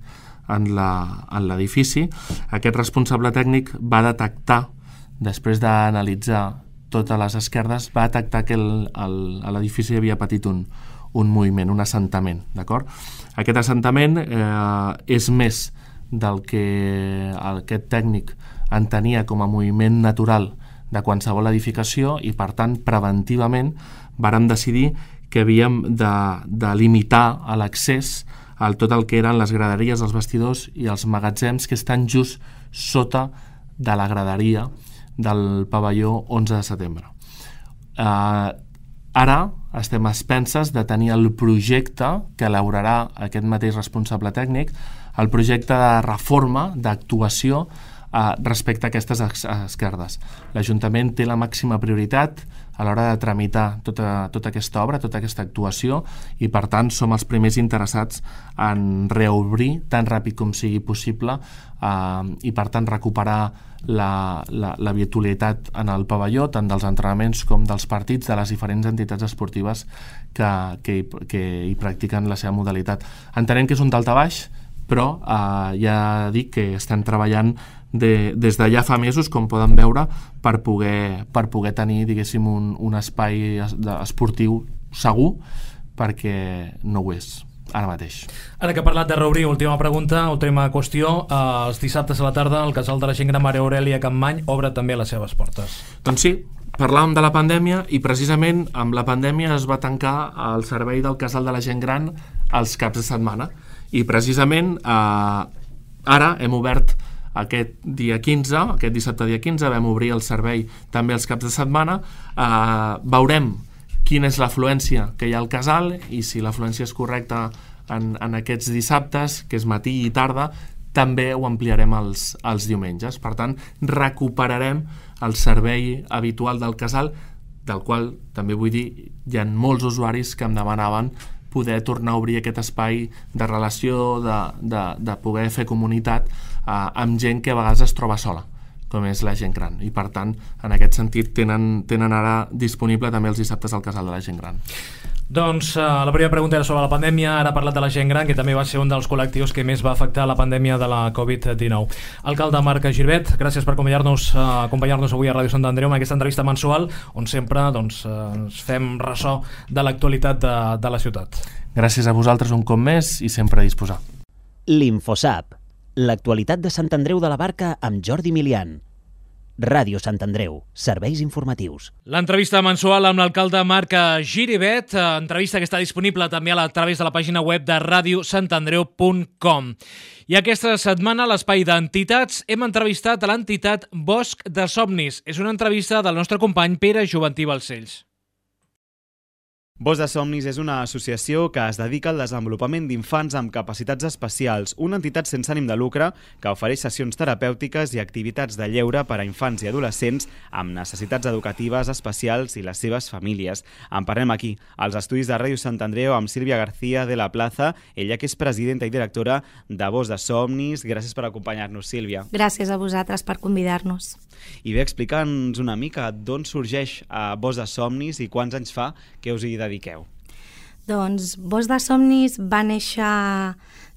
Speaker 4: en l'edifici. Aquest responsable tècnic va detectar, després d'analitzar totes les esquerdes, va detectar que l'edifici havia patit un, un moviment, un assentament, d'acord? Aquest assentament eh, és més del que aquest tècnic entenia com a moviment natural de qualsevol edificació i, per tant, preventivament vàrem decidir que havíem de, de limitar l'accés a tot el que eren les graderies, els vestidors i els magatzems que estan just sota de la graderia del pavelló onze de setembre. Uh, ara estem a expenses de tenir el projecte que elaborarà aquest mateix responsable tècnic, el projecte de reforma, d'actuació uh, respecte a aquestes esquerdes. L'Ajuntament té la màxima prioritat a l'hora de tramitar tota, tota aquesta obra, tota aquesta actuació, i per tant som els primers interessats en reobrir tan ràpid com sigui possible eh, i per tant recuperar la, la, la virtualitat en el pavelló, tant dels entrenaments com dels partits de les diferents entitats esportives que, que, que hi practiquen la seva modalitat. Entenem que és un daltabaix, però eh, ja dic que estan treballant de, des de ja fa mesos, com poden veure, per poder, per poder tenir, diguéssim, un, un espai esportiu segur, perquè no ho és ara mateix.
Speaker 2: Ara que he parlat de reobrir, última pregunta, última qüestió, eh, els dissabtes a la tarda el Casal de la Gent Gran Mare Aurèlia Campmany obre també les seves portes.
Speaker 4: Doncs sí, parlàvem de la pandèmia i precisament amb la pandèmia es va tancar el servei del Casal de la Gent Gran els caps de setmana, i precisament eh, ara hem obert aquest dia quinze, aquest dissabte dia quinze, vam obrir el servei també els caps de setmana. Eh, veurem quina és l'afluència que hi ha al casal i si l'afluència és correcta en, en aquests dissabtes, que és matí i tarda, també ho ampliarem els, els diumenges. Per tant, recuperarem el servei habitual del casal, del qual també vull dir, hi ha molts usuaris que em demanaven poder tornar a obrir aquest espai de relació, de, de, de poder fer comunitat eh, amb gent que a vegades es troba sola, com és la gent gran. I per tant, en aquest sentit, tenen, tenen ara disponible també els dissabtes al Casal de la Gent Gran.
Speaker 2: Doncs uh, la primera pregunta era sobre la pandèmia, ara ha parlat de la gent gran, que també va ser un dels col·lectius que més va afectar la pandèmia de la covid dinou. Alcalde Marc Girbet, gràcies per acompanyar-nos uh, acompanyar-nos avui a Ràdio Sant Andreu amb aquesta entrevista mensual, on sempre doncs, uh, ens fem ressò de l'actualitat de, de la ciutat.
Speaker 4: Gràcies a vosaltres un cop més i sempre a disposar.
Speaker 3: L'Infosap, l'actualitat de Sant Andreu de la Barca amb Jordi Milian. Ràdio Sant Andreu, serveis informatius.
Speaker 2: L'entrevista mensual amb l'alcalde Marc Girbet, entrevista que està disponible també a través de la pàgina web de ràdio sant andreu punt com. I aquesta setmana, a l'espai d'entitats, hem entrevistat a l'entitat Bosc de Somnis. És una entrevista del nostre company Pere Joventí Balcells.
Speaker 5: Bosc de Somnis és una associació que es dedica al desenvolupament d'infants amb capacitats especials, una entitat sense ànim de lucre que ofereix sessions terapèutiques i activitats de lleure per a infants i adolescents amb necessitats educatives especials i les seves famílies. En parlem aquí, als estudis de Ràdio Sant Andreu, amb Sílvia García de la Plaza, ella que és presidenta i directora de Bosc de Somnis. Gràcies per acompanyar-nos, Sílvia.
Speaker 6: Gràcies a vosaltres per convidar-nos.
Speaker 5: I bé, explica'ns una mica d'on sorgeix a Bosc de Somnis i quants anys fa que us hi dediqueu.
Speaker 6: Doncs Bosc de Somnis va néixer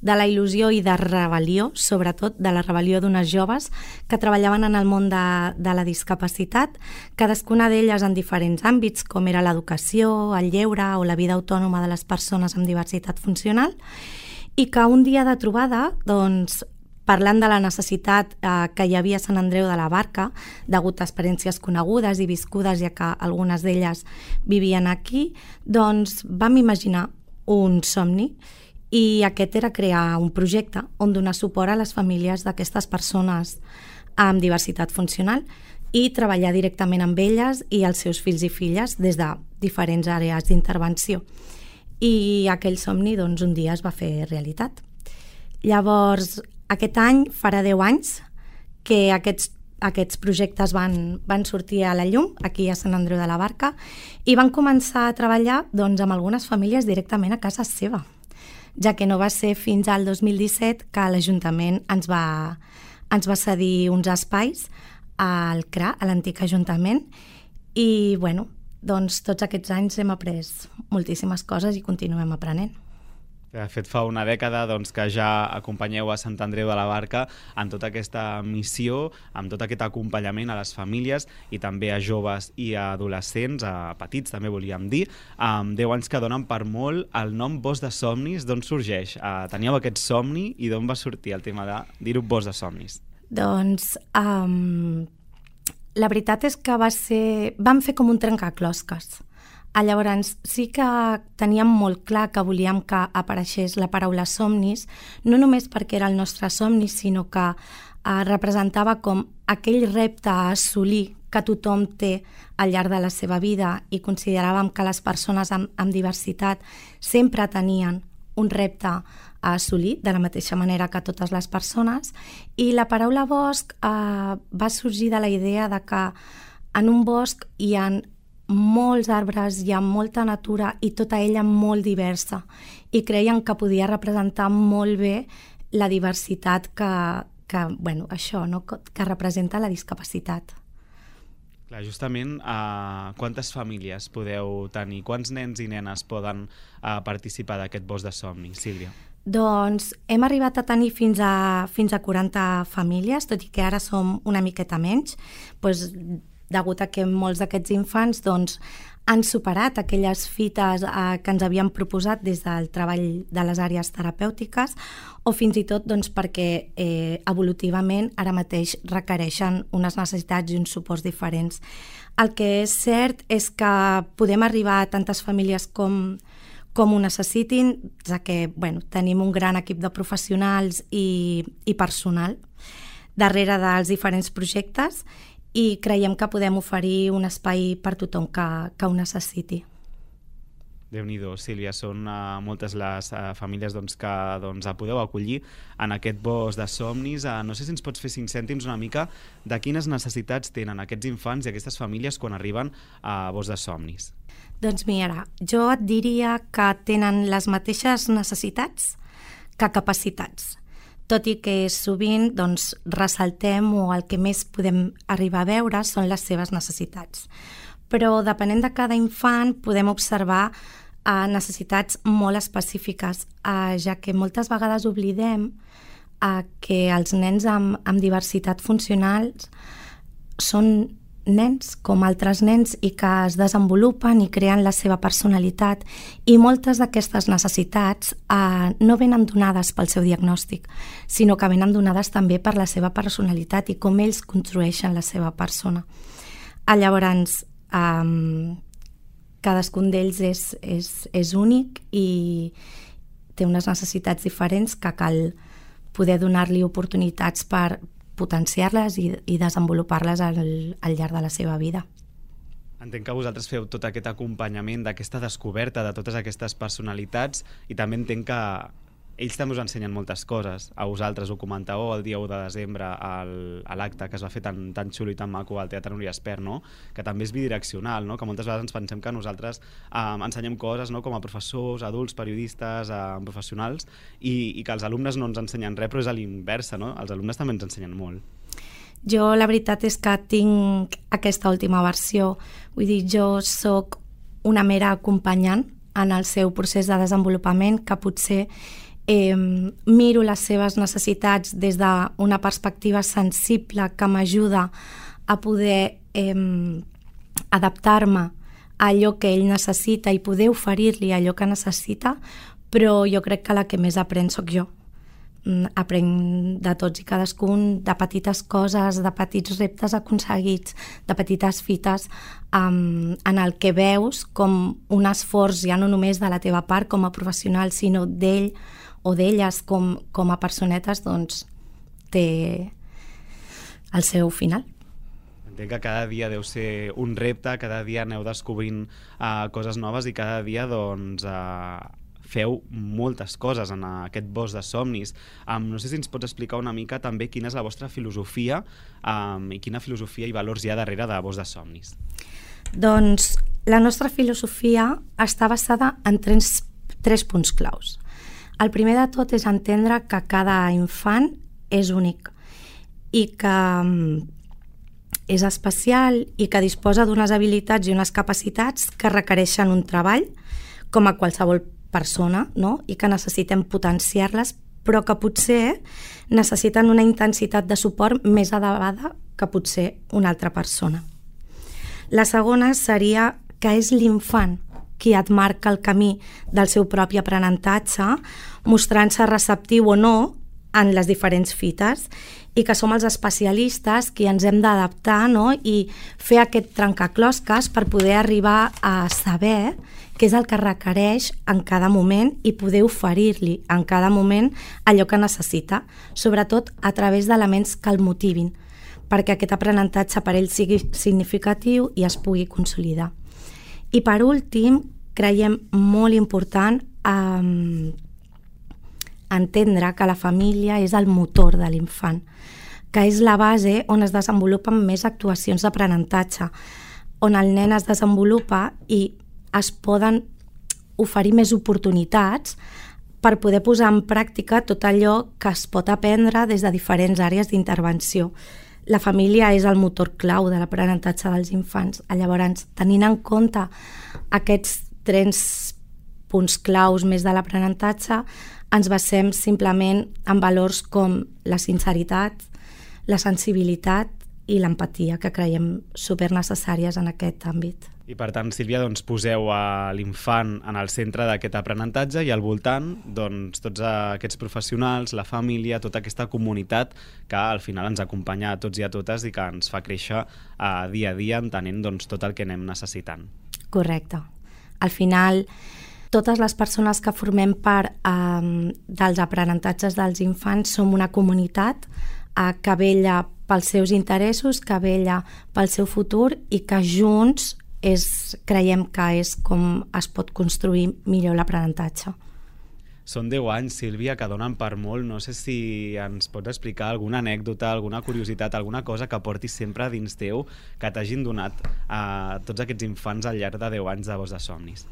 Speaker 6: de la il·lusió i de rebel·lió, sobretot de la rebel·lió d'unes joves que treballaven en el món de, de la discapacitat, cadascuna d'elles en diferents àmbits, com era l'educació, el lleure o la vida autònoma de les persones amb diversitat funcional, i que un dia de trobada, doncs, parlant de la necessitat eh, que hi havia a Sant Andreu de la Barca, degut a experiències conegudes i viscudes, ja que algunes d'elles vivien aquí, doncs vam imaginar un somni, i aquest era crear un projecte on donar suport a les famílies d'aquestes persones amb diversitat funcional i treballar directament amb elles i els seus fills i filles des de diferents àrees d'intervenció. I aquell somni, doncs, un dia es va fer realitat. Llavors, aquest any farà deu anys que aquests, aquests projectes van, van sortir a la llum aquí a Sant Andreu de la Barca i van començar a treballar doncs, amb algunes famílies directament a casa seva, ja que no va ser fins al dos mil disset que l'Ajuntament ens va, ens va cedir uns espais al C R A, a l'antic Ajuntament, i bueno, doncs, tots aquests anys hem après moltíssimes coses i continuem aprenent.
Speaker 5: De fet, fa una dècada doncs, que ja acompanyeu a Sant Andreu de la Barca en tota aquesta missió, amb tot aquest acompanyament a les famílies i també a joves i a adolescents, a petits també volíem dir, amb deu anys que donen per molt. El nom Bosc de Somnis, d'on sorgeix? Uh, teníeu aquest somni i d'on va sortir el tema de dir-ho Bosc de Somnis?
Speaker 6: Doncs um, la veritat és que va ser... vam fer com un trencaclosques. Llavors, sí que teníem molt clar que volíem que apareixés la paraula somnis, no només perquè era el nostre somni, sinó que eh, representava com aquell repte a assolir que tothom té al llarg de la seva vida, i consideràvem que les persones amb, amb diversitat sempre tenien un repte a assolir, de la mateixa manera que totes les persones, i la paraula bosc eh, va sorgir de la idea de que en un bosc hi ha molts arbres, hi ha molta natura i tota ella molt diversa, i creien que podia representar molt bé la diversitat que, que, bueno, això, no? que representa la discapacitat.
Speaker 5: Clar, justament, uh, quantes famílies podeu tenir? Quants nens i nenes poden uh, participar d'aquest bosc de somni, Sílvia?
Speaker 6: Doncs hem arribat a tenir fins a, fins a quaranta famílies, tot i que ara som una miqueta menys, doncs, degut a que molts d'aquests infants doncs, han superat aquelles fites eh, que ens havíem proposat des del treball de les àrees terapèutiques, o fins i tot doncs, perquè eh, evolutivament ara mateix requereixen unes necessitats i uns suports diferents. El que és cert és que podem arribar a tantes famílies com, com ho necessitin, ja que bueno, tenim un gran equip de professionals i, i personal darrere dels diferents projectes, i creiem que podem oferir un espai per tothom que, que ho necessiti.
Speaker 5: Déu-n'hi-do, Sílvia, són uh, moltes les uh, famílies doncs, que doncs, podeu acollir en aquest bosc de somnis. Uh, no sé si ens pots fer cinc cèntims una mica de quines necessitats tenen aquests infants i aquestes famílies quan arriben a bosc de somnis.
Speaker 6: Doncs mira, jo et diria que tenen les mateixes necessitats que capacitats, tot i que sovint doncs, ressaltem o el que més podem arribar a veure són les seves necessitats. Però depenent de cada infant podem observar eh, necessitats molt específiques, eh, ja que moltes vegades oblidem eh, que els nens amb, amb diversitat funcional són nens com altres nens i que es desenvolupen i creen la seva personalitat, i moltes d'aquestes necessitats eh, no venen donades pel seu diagnòstic, sinó que venen donades també per la seva personalitat i com ells construeixen la seva persona. Eh, llavors, eh, cadascun d'ells és, és, és únic i té unes necessitats diferents que cal poder donar-li oportunitats per potenciar-les i, i desenvolupar-les al, al llarg de la seva vida.
Speaker 5: Entenc que vosaltres feu tot aquest acompanyament d'aquesta descoberta de totes aquestes personalitats, i també entenc que ells també us ensenyen moltes coses. A vosaltres ho comentàveu el dia u de desembre al, a l'acte que es va fer tan, tan xulo i tan maco al Teatre Núria Espert, no? Que també és bidireccional, no? Que moltes vegades ens pensem que nosaltres eh, ensenyem coses, no? Com a professors, adults, periodistes, eh, professionals, i, i que els alumnes no ens ensenyen res, però és a l'inversa, no? Els alumnes també ens ensenyen molt.
Speaker 6: Jo la veritat és que tinc aquesta última versió, vull dir, jo sóc una mera acompanyant en el seu procés de desenvolupament, que potser Eh, miro les seves necessitats des d'una perspectiva sensible que m'ajuda a poder eh, adaptar-me a allò que ell necessita i poder oferir-li allò que necessita, però jo crec que la que més aprèn sóc jo. Aprenc de tots i cadascun, de petites coses, de petits reptes aconseguits, de petites fites, um, en el que veus com un esforç ja no només de la teva part com a professional, sinó d'ell o d'elles com, com a personetes, doncs té el seu final.
Speaker 5: Entenc que cada dia deu ser un repte, cada dia aneu descobrint uh, coses noves i cada dia doncs, uh, feu moltes coses en aquest bosc de somnis. Um, no sé si ens pots explicar una mica també quina és la vostra filosofia um, i quina filosofia i valors hi ha darrere de Bosc de Somnis.
Speaker 6: Doncs la nostra filosofia està basada en tres, tres punts claus. El primer de tot és entendre que cada infant és únic i que és especial i que disposa d'unes habilitats i unes capacitats que requereixen un treball com a qualsevol persona, no? I que necessitem potenciar-les, però que potser necessiten una intensitat de suport més elevada que potser una altra persona. La segona seria que és l'infant qui et marca el camí del seu propi aprenentatge, mostrant-se receptiu o no en les diferents fites i que som els especialistes qui ens hem d'adaptar, no? I fer aquest trencaclosques per poder arribar a saber què és el que requereix en cada moment i poder oferir-li en cada moment allò que necessita, sobretot a través d'elements que el motivin, perquè aquest aprenentatge per ell sigui significatiu i es pugui consolidar. I per últim, creiem molt important eh, entendre que la família és el motor de l'infant, que és la base on es desenvolupen més actuacions d'aprenentatge, on el nen es desenvolupa i es poden oferir més oportunitats per poder posar en pràctica tot allò que es pot aprendre des de diferents àrees d'intervenció. La família és el motor clau de l'aprenentatge dels infants. Llavors, tenint en compte aquests tres punts claus més de l'aprenentatge, ens basem simplement en valors com la sinceritat, la sensibilitat i l'empatia, que creiem supernecessàries en aquest àmbit.
Speaker 5: I per tant, Sílvia, doncs, poseu a l'infant en el centre d'aquest aprenentatge i al voltant doncs, tots aquests professionals, la família, tota aquesta comunitat que al final ens acompanya a tots i a totes i que ens fa créixer eh, dia a dia entenent doncs, tot el que anem necessitant.
Speaker 6: Correcte. Al final, totes les persones que formem part eh, dels aprenentatges dels infants som una comunitat eh, que vella pels seus interessos, que vella pel seu futur i que junts és, creiem que és com es pot construir millor l'aprenentatge.
Speaker 5: Són deu anys, Sílvia, que donen per molt. No sé si ens pots explicar alguna anècdota, alguna curiositat, alguna cosa que portis sempre dins teu que t'hagin donat a tots aquests infants al llarg de deu anys de Voz de Somnis.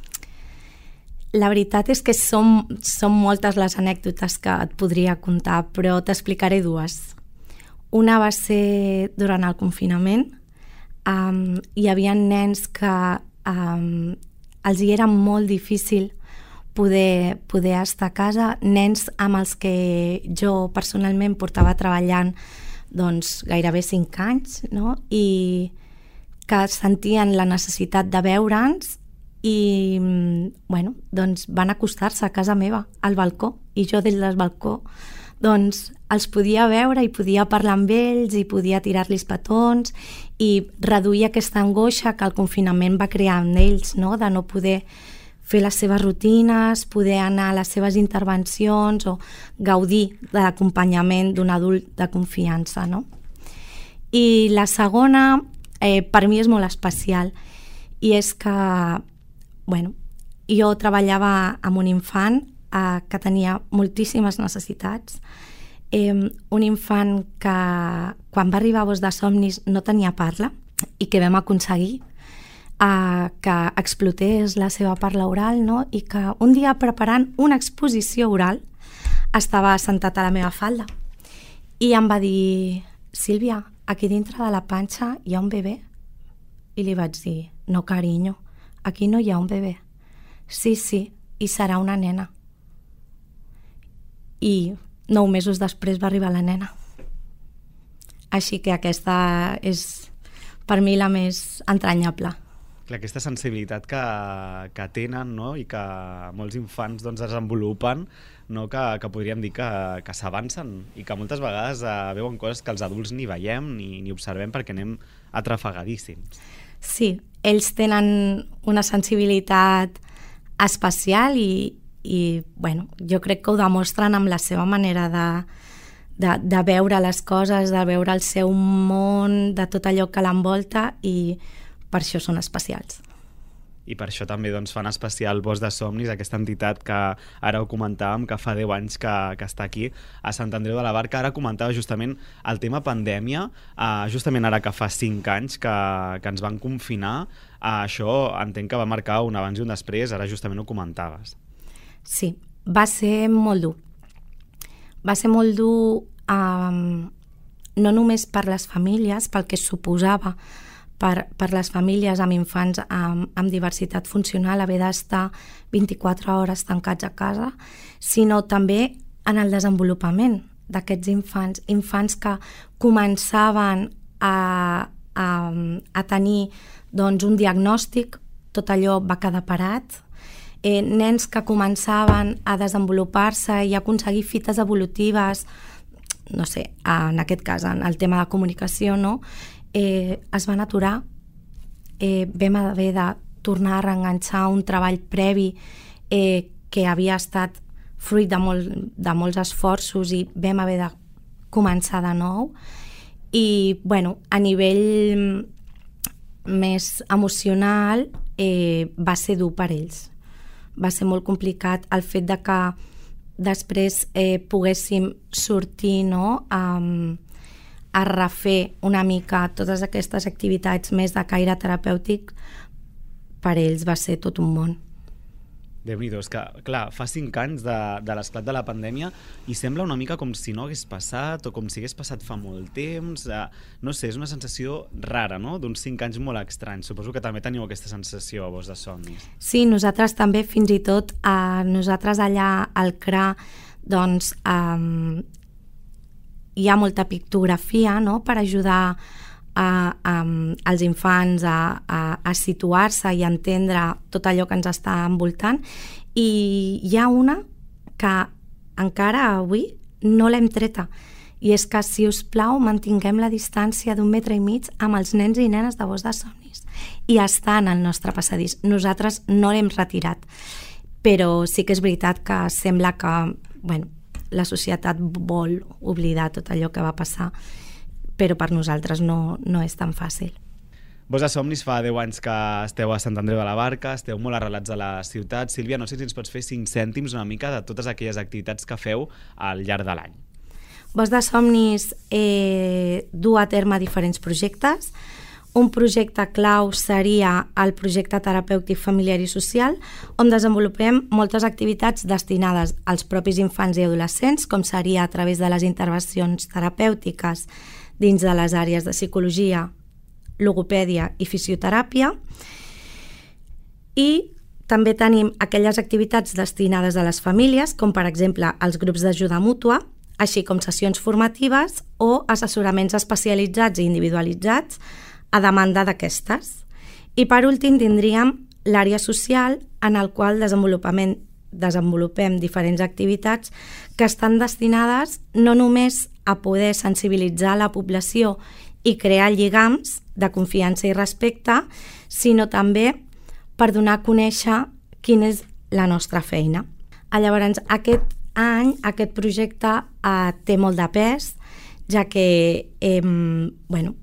Speaker 6: La veritat és que són, són moltes les anècdotes que et podria contar, però t'explicaré dues. Una va ser durant el confinament. Um, hi havia nens que um, els hi era molt difícil poder, poder estar a casa, nens amb els que jo personalment portava treballant doncs, gairebé cinc anys, no? I que sentien la necessitat de veure'ns i bueno, doncs van acostar-se a casa meva, al balcó, i jo des del balcó doncs els podia veure i podia parlar amb ells i podia tirar-los petons i reduir aquesta angoixa que el confinament va crear en ells, no? De no poder fer les seves rutines, poder anar a les seves intervencions o gaudir de l'acompanyament d'un adult de confiança, no? I la segona, eh, per mi és molt especial, i és que, bueno, jo treballava amb un infant eh, que tenia moltíssimes necessitats, eh, un infant que quan va arribar a Voz de Somnis no tenia parla i que vam aconseguir eh, que explotés la seva parla oral, no? I que un dia preparant una exposició oral estava sentat a la meva falda i em va dir: Sílvia, aquí dintre de la panxa hi ha un bebè. I li vaig dir: no, carinyo, aquí no hi ha un bebè. Sí, sí, i serà una nena. I nou mesos després va arribar la nena. Així que aquesta és per mi la més entranyable.
Speaker 5: Clar, aquesta sensibilitat que, que tenen, no? I que molts infants doncs, desenvolupen, no? que, que podríem dir que, que s'avancen i que moltes vegades eh, veuen coses que els adults ni veiem ni, ni observem perquè anem atrafegadíssims.
Speaker 6: Sí, ells tenen una sensibilitat especial i, i bueno, jo crec que ho demostren amb la seva manera de, de, de veure les coses, de veure el seu món, de tot allò que l'envolta, i per això són especials.
Speaker 5: I per això també doncs, fan especial Voz de Somnis, aquesta entitat que ara ho comentàvem, que fa deu anys que, que està aquí a Sant Andreu de la Barca. Ara comentava justament el tema pandèmia, eh, justament ara que fa cinc anys que, que ens van confinar, eh, això entenc que va marcar un abans i un després, ara justament ho comentaves.
Speaker 6: Sí, va ser molt dur. Va ser molt dur eh, no només per les famílies, pel que suposava Per, per les famílies amb infants amb, amb diversitat funcional haver d'estar vint-i-quatre hores tancats a casa, sinó també en el desenvolupament d'aquests infants, infants que començaven a, a, a tenir doncs, un diagnòstic, tot allò va quedar parat, eh, nens que començaven a desenvolupar-se i a aconseguir fites evolutives no sé, en aquest cas, en el tema de comunicació, no? eh, es van aturar, eh, vam haver de tornar a reenganxar un treball previ eh, que havia estat fruit de, molt, de molts esforços i vam haver de començar de nou. I, bueno, a nivell més emocional eh, va ser dur per ells. Va ser molt complicat el fet de que després eh, poguéssim sortir, no?, a, a refer una mica totes aquestes activitats més de caire terapèutic. Per ells va ser tot un món.
Speaker 5: Déu-n'hi-do, és que, clar, fa cinc anys de, de l'esclat de la pandèmia i sembla una mica com si no hagués passat o com si hagués passat fa molt temps. Eh, no sé, és una sensació rara, no?, d'uns cinc anys molt estranys. Suposo que també teniu aquesta sensació a Voz de Somnis.
Speaker 6: Sí, nosaltres també, fins i tot, eh, nosaltres allà al C R A, doncs, eh, hi ha molta pictografia, no?, per ajudar A, a, als infants a, a, a situar-se i a entendre tot allò que ens està envoltant, i hi ha una que encara avui no l'hem treta, i és que, si us plau, mantinguem la distància d'un metre i mig amb els nens i nenes de Voz de Somnis, i està en el nostre passadís. Nosaltres no l'hem retirat, però sí que és veritat que sembla que, bueno, la societat vol oblidar tot allò que va passar, però per nosaltres no, no és tan fàcil.
Speaker 5: Voz de Somnis fa deu anys que esteu a Sant Andreu de la Barca, esteu molt arrelats a la ciutat. Sílvia, no sé si ens pots fer cinc cèntims una mica de totes aquelles activitats que feu al llarg de l'any.
Speaker 6: Voz de Somnis eh, du a terme diferents projectes. Un projecte clau seria el projecte terapèutic familiar i social, on desenvolupem moltes activitats destinades als propis infants i adolescents, com seria a través de les intervencions terapèutiques dins de les àrees de psicologia, logopèdia i fisioteràpia. I també tenim aquelles activitats destinades a les famílies, com per exemple els grups d'ajuda mútua, així com sessions formatives o assessoraments especialitzats i individualitzats a demanda d'aquestes. I per últim tindríem l'àrea social, en el qual desenvolupem, desenvolupem diferents activitats que estan destinades no només a poder sensibilitzar la població i crear lligams de confiança i respecte, sinó també per donar a conèixer quina és la nostra feina. Llavors, aquest any, aquest projecte eh, té molt de pes, ja que eh, bueno,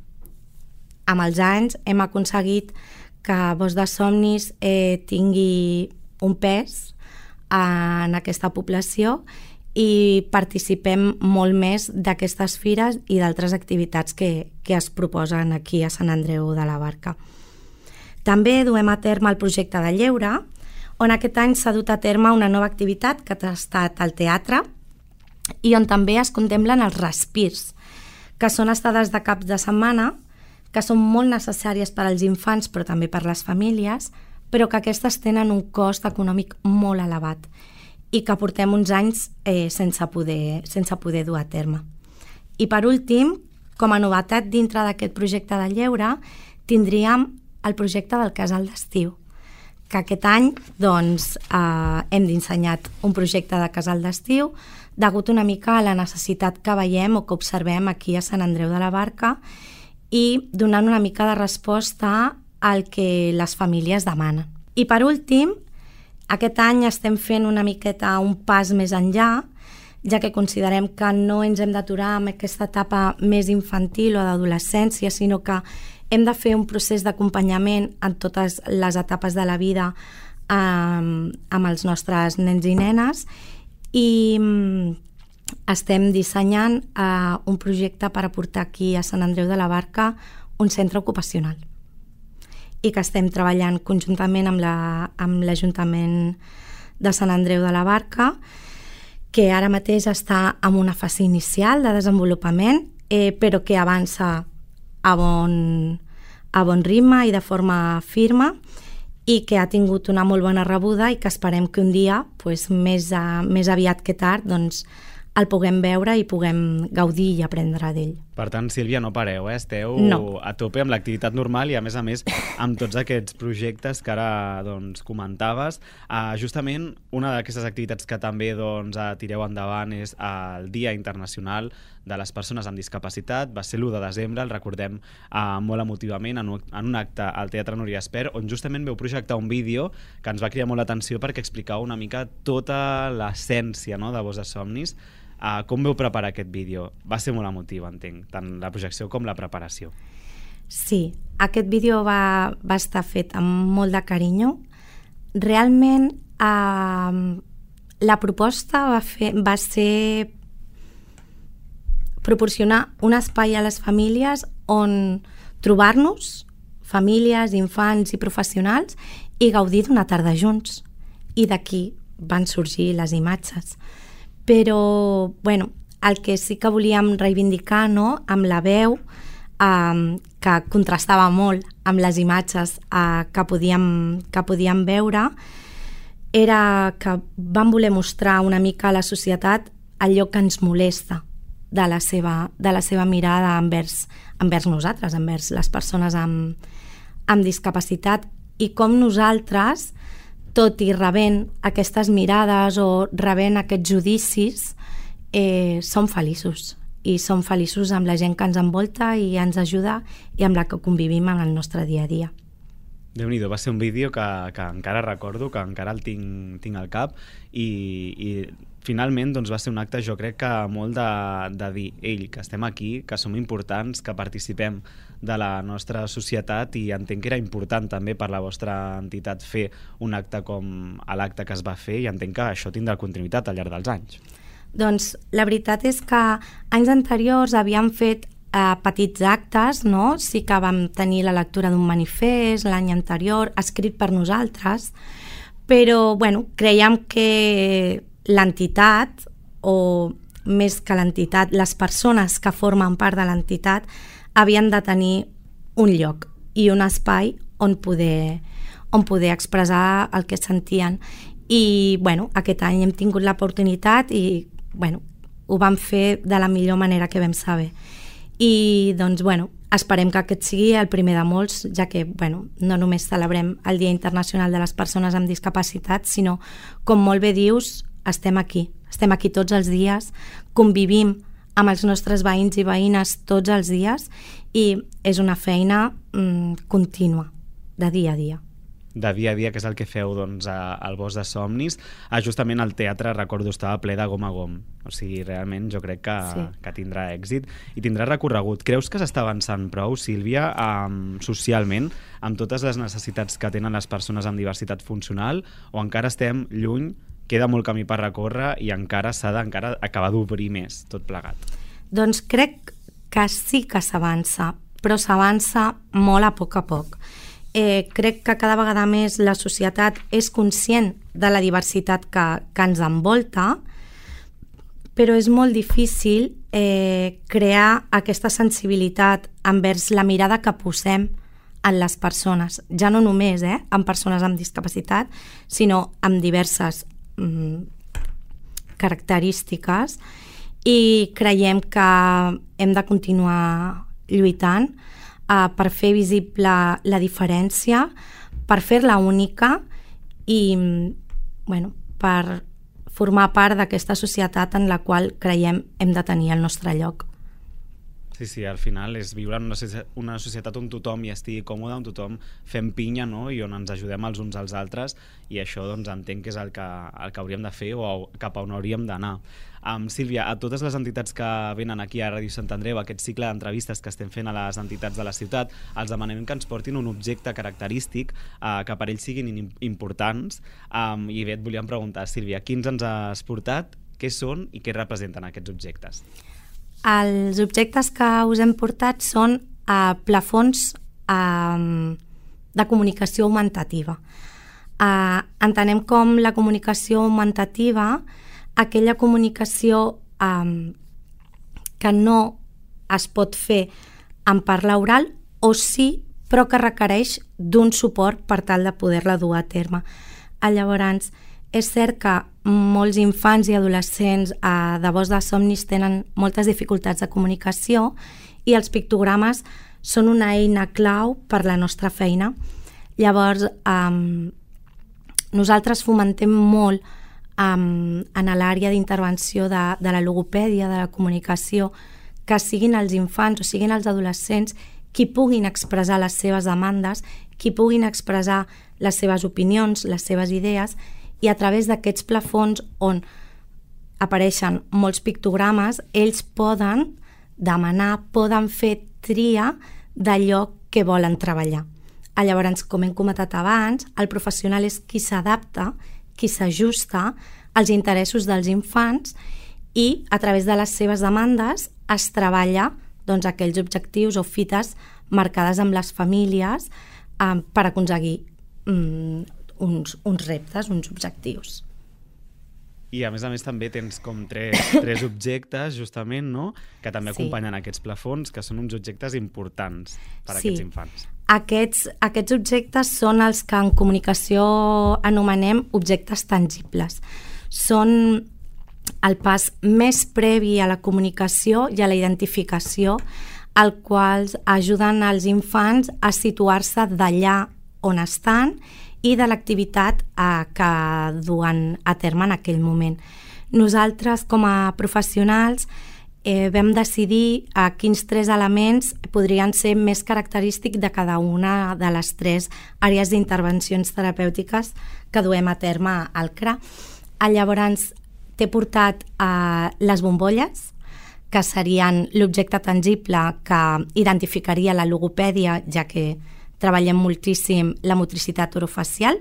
Speaker 6: amb els anys hem aconseguit que Voz de Somnis eh, tingui un pes en aquesta població i participem molt més d'aquestes fires i d'altres activitats que, que es proposen aquí a Sant Andreu de la Barca. També duem a terme el projecte de lleure, on aquest any s'ha dut a terme una nova activitat que ha estat al teatre i on també es contemplen els respirs, que són estades de caps de setmana que són molt necessàries per als infants però també per les famílies, però que aquestes tenen un cost econòmic molt elevat i que portem uns anys eh, sense, poder, sense poder dur a terme. I per últim, com a novetat dintre d'aquest projecte de lleure, tindríem el projecte del casal d'estiu, que aquest any doncs, eh, hem dissenyat un projecte de casal d'estiu degut una mica a la necessitat que veiem o que observem aquí a Sant Andreu de la Barca i donant una mica de resposta al que les famílies demanen. I per últim, aquest any estem fent una miqueta un pas més enllà, ja que considerem que no ens hem d'aturar amb aquesta etapa més infantil o d'adolescència, sinó que hem de fer un procés d'acompanyament en totes les etapes de la vida eh, amb els nostres nens i nenes, i estem dissenyant eh, un projecte per aportar aquí a Sant Andreu de la Barca un centre ocupacional i que estem treballant conjuntament amb la, amb l'Ajuntament de Sant Andreu de la Barca, que ara mateix està en una fase inicial de desenvolupament, eh, però que avança a bon, a bon ritme i de forma firma, i que ha tingut una molt bona rebuda i que esperem que un dia, pues, més, a, més aviat que tard, doncs, el puguem veure i puguem gaudir i aprendre d'ell.
Speaker 5: Per tant, Sílvia, no pareu, eh? Esteu
Speaker 6: no.
Speaker 5: a tope amb l'activitat normal i, a més a més, amb tots aquests projectes que ara doncs, comentaves. Uh, justament, una d'aquestes activitats que també doncs, tireu endavant és el Dia Internacional de les persones amb discapacitat. Va ser l'u de desembre, el recordem uh, molt emotivament, en un, en un acte al Teatre Núria Espert, on justament veu projectar un vídeo que ens va cridar molt l'atenció perquè explicava una mica tota l'essència, no?, de Voz de Somnis. Uh, com veu preparar aquest vídeo? Va ser molt emotiu, entenc, tant la projecció com la preparació.
Speaker 6: Sí, aquest vídeo va, va estar fet amb molt de carinyo. Realment, eh, la proposta va, fer, va ser proporcionar un espai a les famílies on trobar-nos, famílies, infants i professionals, i gaudir d'una tarda junts. I d'aquí van sorgir les imatges. Però, bueno, el que sí que volíem reivindicar, no?, amb la veu, Um, que contrastava molt amb les imatges uh, que, podíem, que podíem veure, era que vam voler mostrar una mica a la societat allò que ens molesta de la seva, de la seva mirada envers, envers nosaltres, envers les persones amb, amb discapacitat, i com nosaltres, tot i rebent aquestes mirades o rebent aquests judicis, eh, som feliços. I som feliços amb la gent que ens envolta i ens ajuda i amb la que convivim en el nostre dia a dia.
Speaker 5: Déu-n'hi-do, va ser un vídeo que, que encara recordo, que encara el tinc, tinc al cap, i, i finalment doncs, va ser un acte, jo crec que molt de, de dir, ell, que estem aquí, que som importants, que participem de la nostra societat, i entenc que era important també per la vostra entitat fer un acte com l'acte que es va fer, i entenc que això tindrà continuïtat al llarg dels anys.
Speaker 6: Doncs la veritat és que anys anteriors havíem fet eh, petits actes, no? Sí que vam tenir la lectura d'un manifest l'any anterior, escrit per nosaltres, però bueno, creiem que l'entitat, o més que l'entitat, les persones que formen part de l'entitat havien de tenir un lloc i un espai on poder, on poder expressar el que sentien. I bueno, aquest any hem tingut l'oportunitat i bueno, ho vam fer de la millor manera que vam saber. I doncs, bueno, esperem que aquest sigui el primer de molts, ja que, bueno, no només celebrem el Dia Internacional de les Persones amb Discapacitat, sinó, com molt bé dius, estem aquí. Estem aquí tots els dies, convivim amb els nostres veïns i veïnes tots els dies, i és una feina mm, contínua, de dia a dia.
Speaker 5: De dia a dia, que és el que feu doncs, al Voz de Somnis. Ah, justament el teatre, recordo, estava ple de gom a gom. O sigui, realment jo crec que, sí. que tindrà èxit i tindrà recorregut. Creus que s'està avançant prou, Sílvia, um, socialment, amb totes les necessitats que tenen les persones amb diversitat funcional, o encara estem lluny, queda molt camí per recórrer i encara s'ha d'acabar d'obrir més tot plegat?
Speaker 6: Doncs crec que sí que s'avança, però s'avança molt a poc a poc. Eh, crec que cada vegada més la societat és conscient de la diversitat que, que ens envolta, però és molt difícil eh, crear aquesta sensibilitat envers la mirada que posem en les persones, ja no només eh, en persones amb discapacitat, sinó amb diverses mm, característiques, i creiem que hem de continuar lluitant Uh, per fer visible la diferència, per fer-la única i bueno, per formar part d'aquesta societat en la qual creiem hem de tenir el nostre lloc.
Speaker 5: Sí, sí, al final és viure en una societat on tothom hi estigui còmode, on tothom fem pinya, no?, i on ens ajudem els uns als altres, i això doncs, entenc que és el que, el que hauríem de fer o cap a on hauríem d'anar. Um, Sílvia, a totes les entitats que venen aquí a Ràdio Sant Andreu, aquest cicle d'entrevistes que estem fent a les entitats de la ciutat, els demanem que ens portin un objecte característic uh, que per ells siguin importants, um, i bé, et volíem preguntar, Sílvia, quins ens has portat, què són i què representen aquests objectes?
Speaker 6: Els objectes que us hem portat són uh, plafons uh, de comunicació augmentativa. Uh, entenem com la comunicació augmentativa aquella comunicació um, que no es pot fer en parla oral, o sí, però que requereix d'un suport per tal de poder-la dur a terme. Llavors, és cert que molts infants i adolescents eh, de Voz de Somnis tenen moltes dificultats de comunicació i els pictogrames són una eina clau per la nostra feina. Llavors, eh, nosaltres fomentem molt um, en l'àrea d'intervenció de, de la logopèdia, de la comunicació, que siguin els infants o siguin els adolescents qui puguin expressar les seves demandes, qui puguin expressar les seves opinions, les seves idees, i a través d'aquests plafons on apareixen molts pictogrames, ells poden demanar, poden fer tria d'allò que volen treballar. Llavors, com hem comentat abans, el professional és qui s'adapta, qui s'ajusta als interessos dels infants i a través de les seves demandes es treballa doncs, aquells objectius o fites marcades amb les famílies eh, per aconseguir mm, uns, uns reptes, uns objectius.
Speaker 5: I a més a més també tens com tres, tres objectes justament, no?, que també
Speaker 6: Sí.
Speaker 5: acompanyen aquests plafons, que són uns objectes importants per a
Speaker 6: Sí.
Speaker 5: aquests infants.
Speaker 6: Aquests, aquests objectes són els que en comunicació anomenem objectes tangibles. Són el pas més previ a la comunicació i a la identificació, el qual ajuden als infants a situar-se d'allà on estan i de l'activitat eh, que duen a terme en aquell moment. Nosaltres, com a professionals, eh, vam decidir eh, quins tres elements podrien ser més característics de cada una de les tres àrees d'intervencions terapèutiques que duem a terme al C R A. Llavors, t'he portat eh, les bombolles, que serien l'objecte tangible que identificaria la logopèdia, ja que treballem moltíssim la motricitat orofacial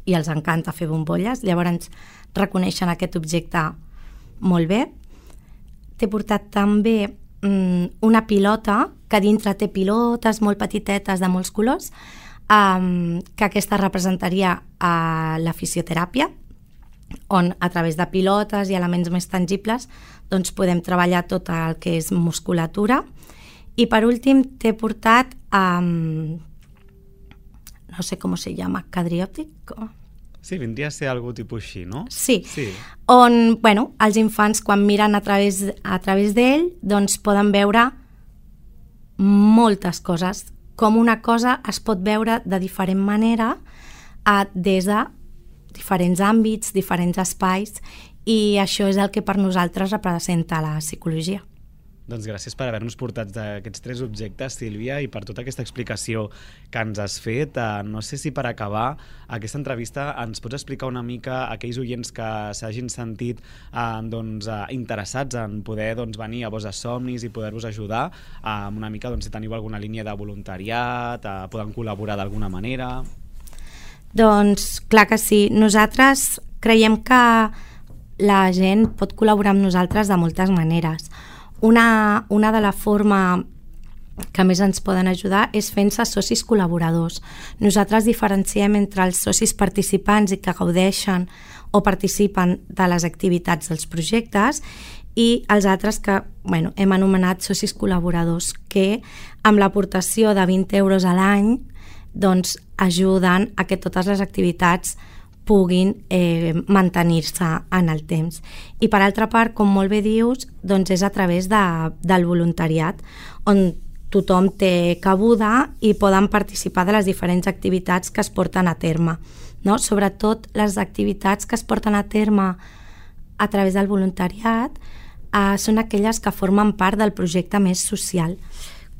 Speaker 6: i els encanta fer bombolles, llavors reconeixen aquest objecte molt bé. T'he portat també mm, una pilota, que dintre té pilotes molt petitetes de molts colors, um, que aquesta representaria uh, la fisioteràpia, on a través de pilotes i elements més tangibles doncs podem treballar tot el que és musculatura. I per últim t'he portat um, no sé com se llama, cadriòtic?
Speaker 5: Sí, vindria a ser algú tipus així, no?
Speaker 6: Sí,
Speaker 5: Sí.
Speaker 6: on bueno, els infants quan miren a través, a través d'ell doncs poden veure moltes coses, com una cosa es pot veure de diferent manera eh, des de diferents àmbits, diferents espais, i això és el que per nosaltres representa la psicologia.
Speaker 5: Doncs gràcies per haver-nos portat aquests tres objectes, Sílvia, i per tota aquesta explicació que ens has fet. Uh, no sé si per acabar aquesta entrevista ens pots explicar una mica a aquells oients que s'hagin sentit uh, doncs, uh, interessats en poder doncs, venir a Voz de Somnis i poder-vos ajudar, uh, una mica doncs, si teniu alguna línia de voluntariat, uh, poden col·laborar d'alguna manera...
Speaker 6: Doncs clar que sí. Nosaltres creiem que la gent pot col·laborar amb nosaltres de moltes maneres. Una, una de la forma que més ens poden ajudar és fent-se socis col·laboradors. Nosaltres diferenciem entre els socis participants i que gaudeixen o participen de les activitats dels projectes i els altres que bueno, hem anomenat socis col·laboradors, que amb l'aportació de vint euros a l'any doncs, ajuden a que totes les activitats puguin eh, mantenir-se en el temps. I per altra part, com molt bé dius, doncs és a través de, del voluntariat, on tothom té cabuda i poden participar de les diferents activitats que es porten a terme. No? Sobretot les activitats que es porten a terme a través del voluntariat eh, són aquelles que formen part del projecte més social.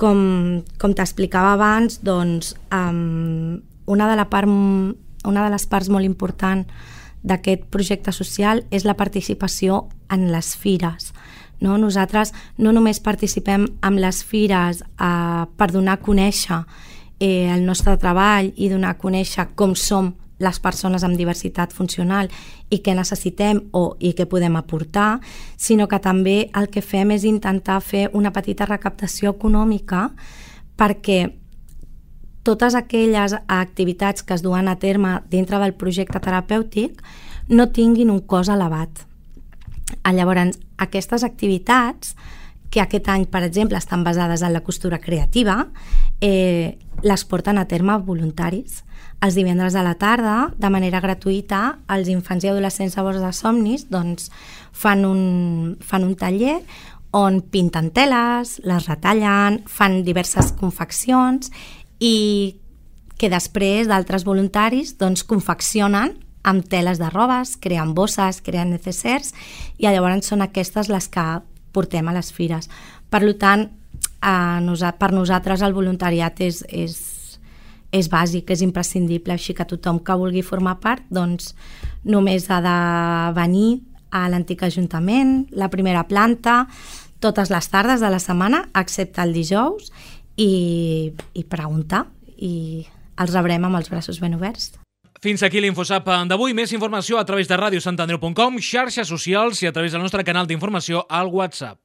Speaker 6: Com, com t'explicava abans, doncs, um, una, de la part, una de les parts molt important d'aquest projecte social és la participació en les fires. No? Nosaltres no només participem en les fires eh, per donar a conèixer eh, el nostre treball i donar a conèixer com som les persones amb diversitat funcional i què necessitem o, i què podem aportar, sinó que també el que fem és intentar fer una petita recaptació econòmica perquè totes aquelles activitats que es duen a terme dintre del projecte terapèutic no tinguin un cost elevat. Llavors, aquestes activitats, que aquest any, per exemple, estan basades en la costura creativa, eh, les porten a terme voluntaris. Els divendres a la tarda, de manera gratuïta, els infants i adolescents a Voz de Somnis doncs, fan, un, fan un taller on pinten teles, les retallen, fan diverses confeccions i que després d'altres voluntaris doncs, confeccionen amb teles de robes, creen bosses, creen necessers, i llavors són aquestes les que portem a les fires. Per tant, a per nosaltres el voluntariat és, és, és bàsic, és imprescindible, així que tothom que vulgui formar part doncs, només ha de venir a l'antic Ajuntament, la primera planta, totes les tardes de la setmana, excepte el dijous, i, i preguntar, i els rebrem amb els braços ben oberts.
Speaker 2: Fins aquí l'InfoSap d'avui. Més informació a través de ràdio sant andreu punt com, xarxes socials i a través del nostre canal d'informació al WhatsApp.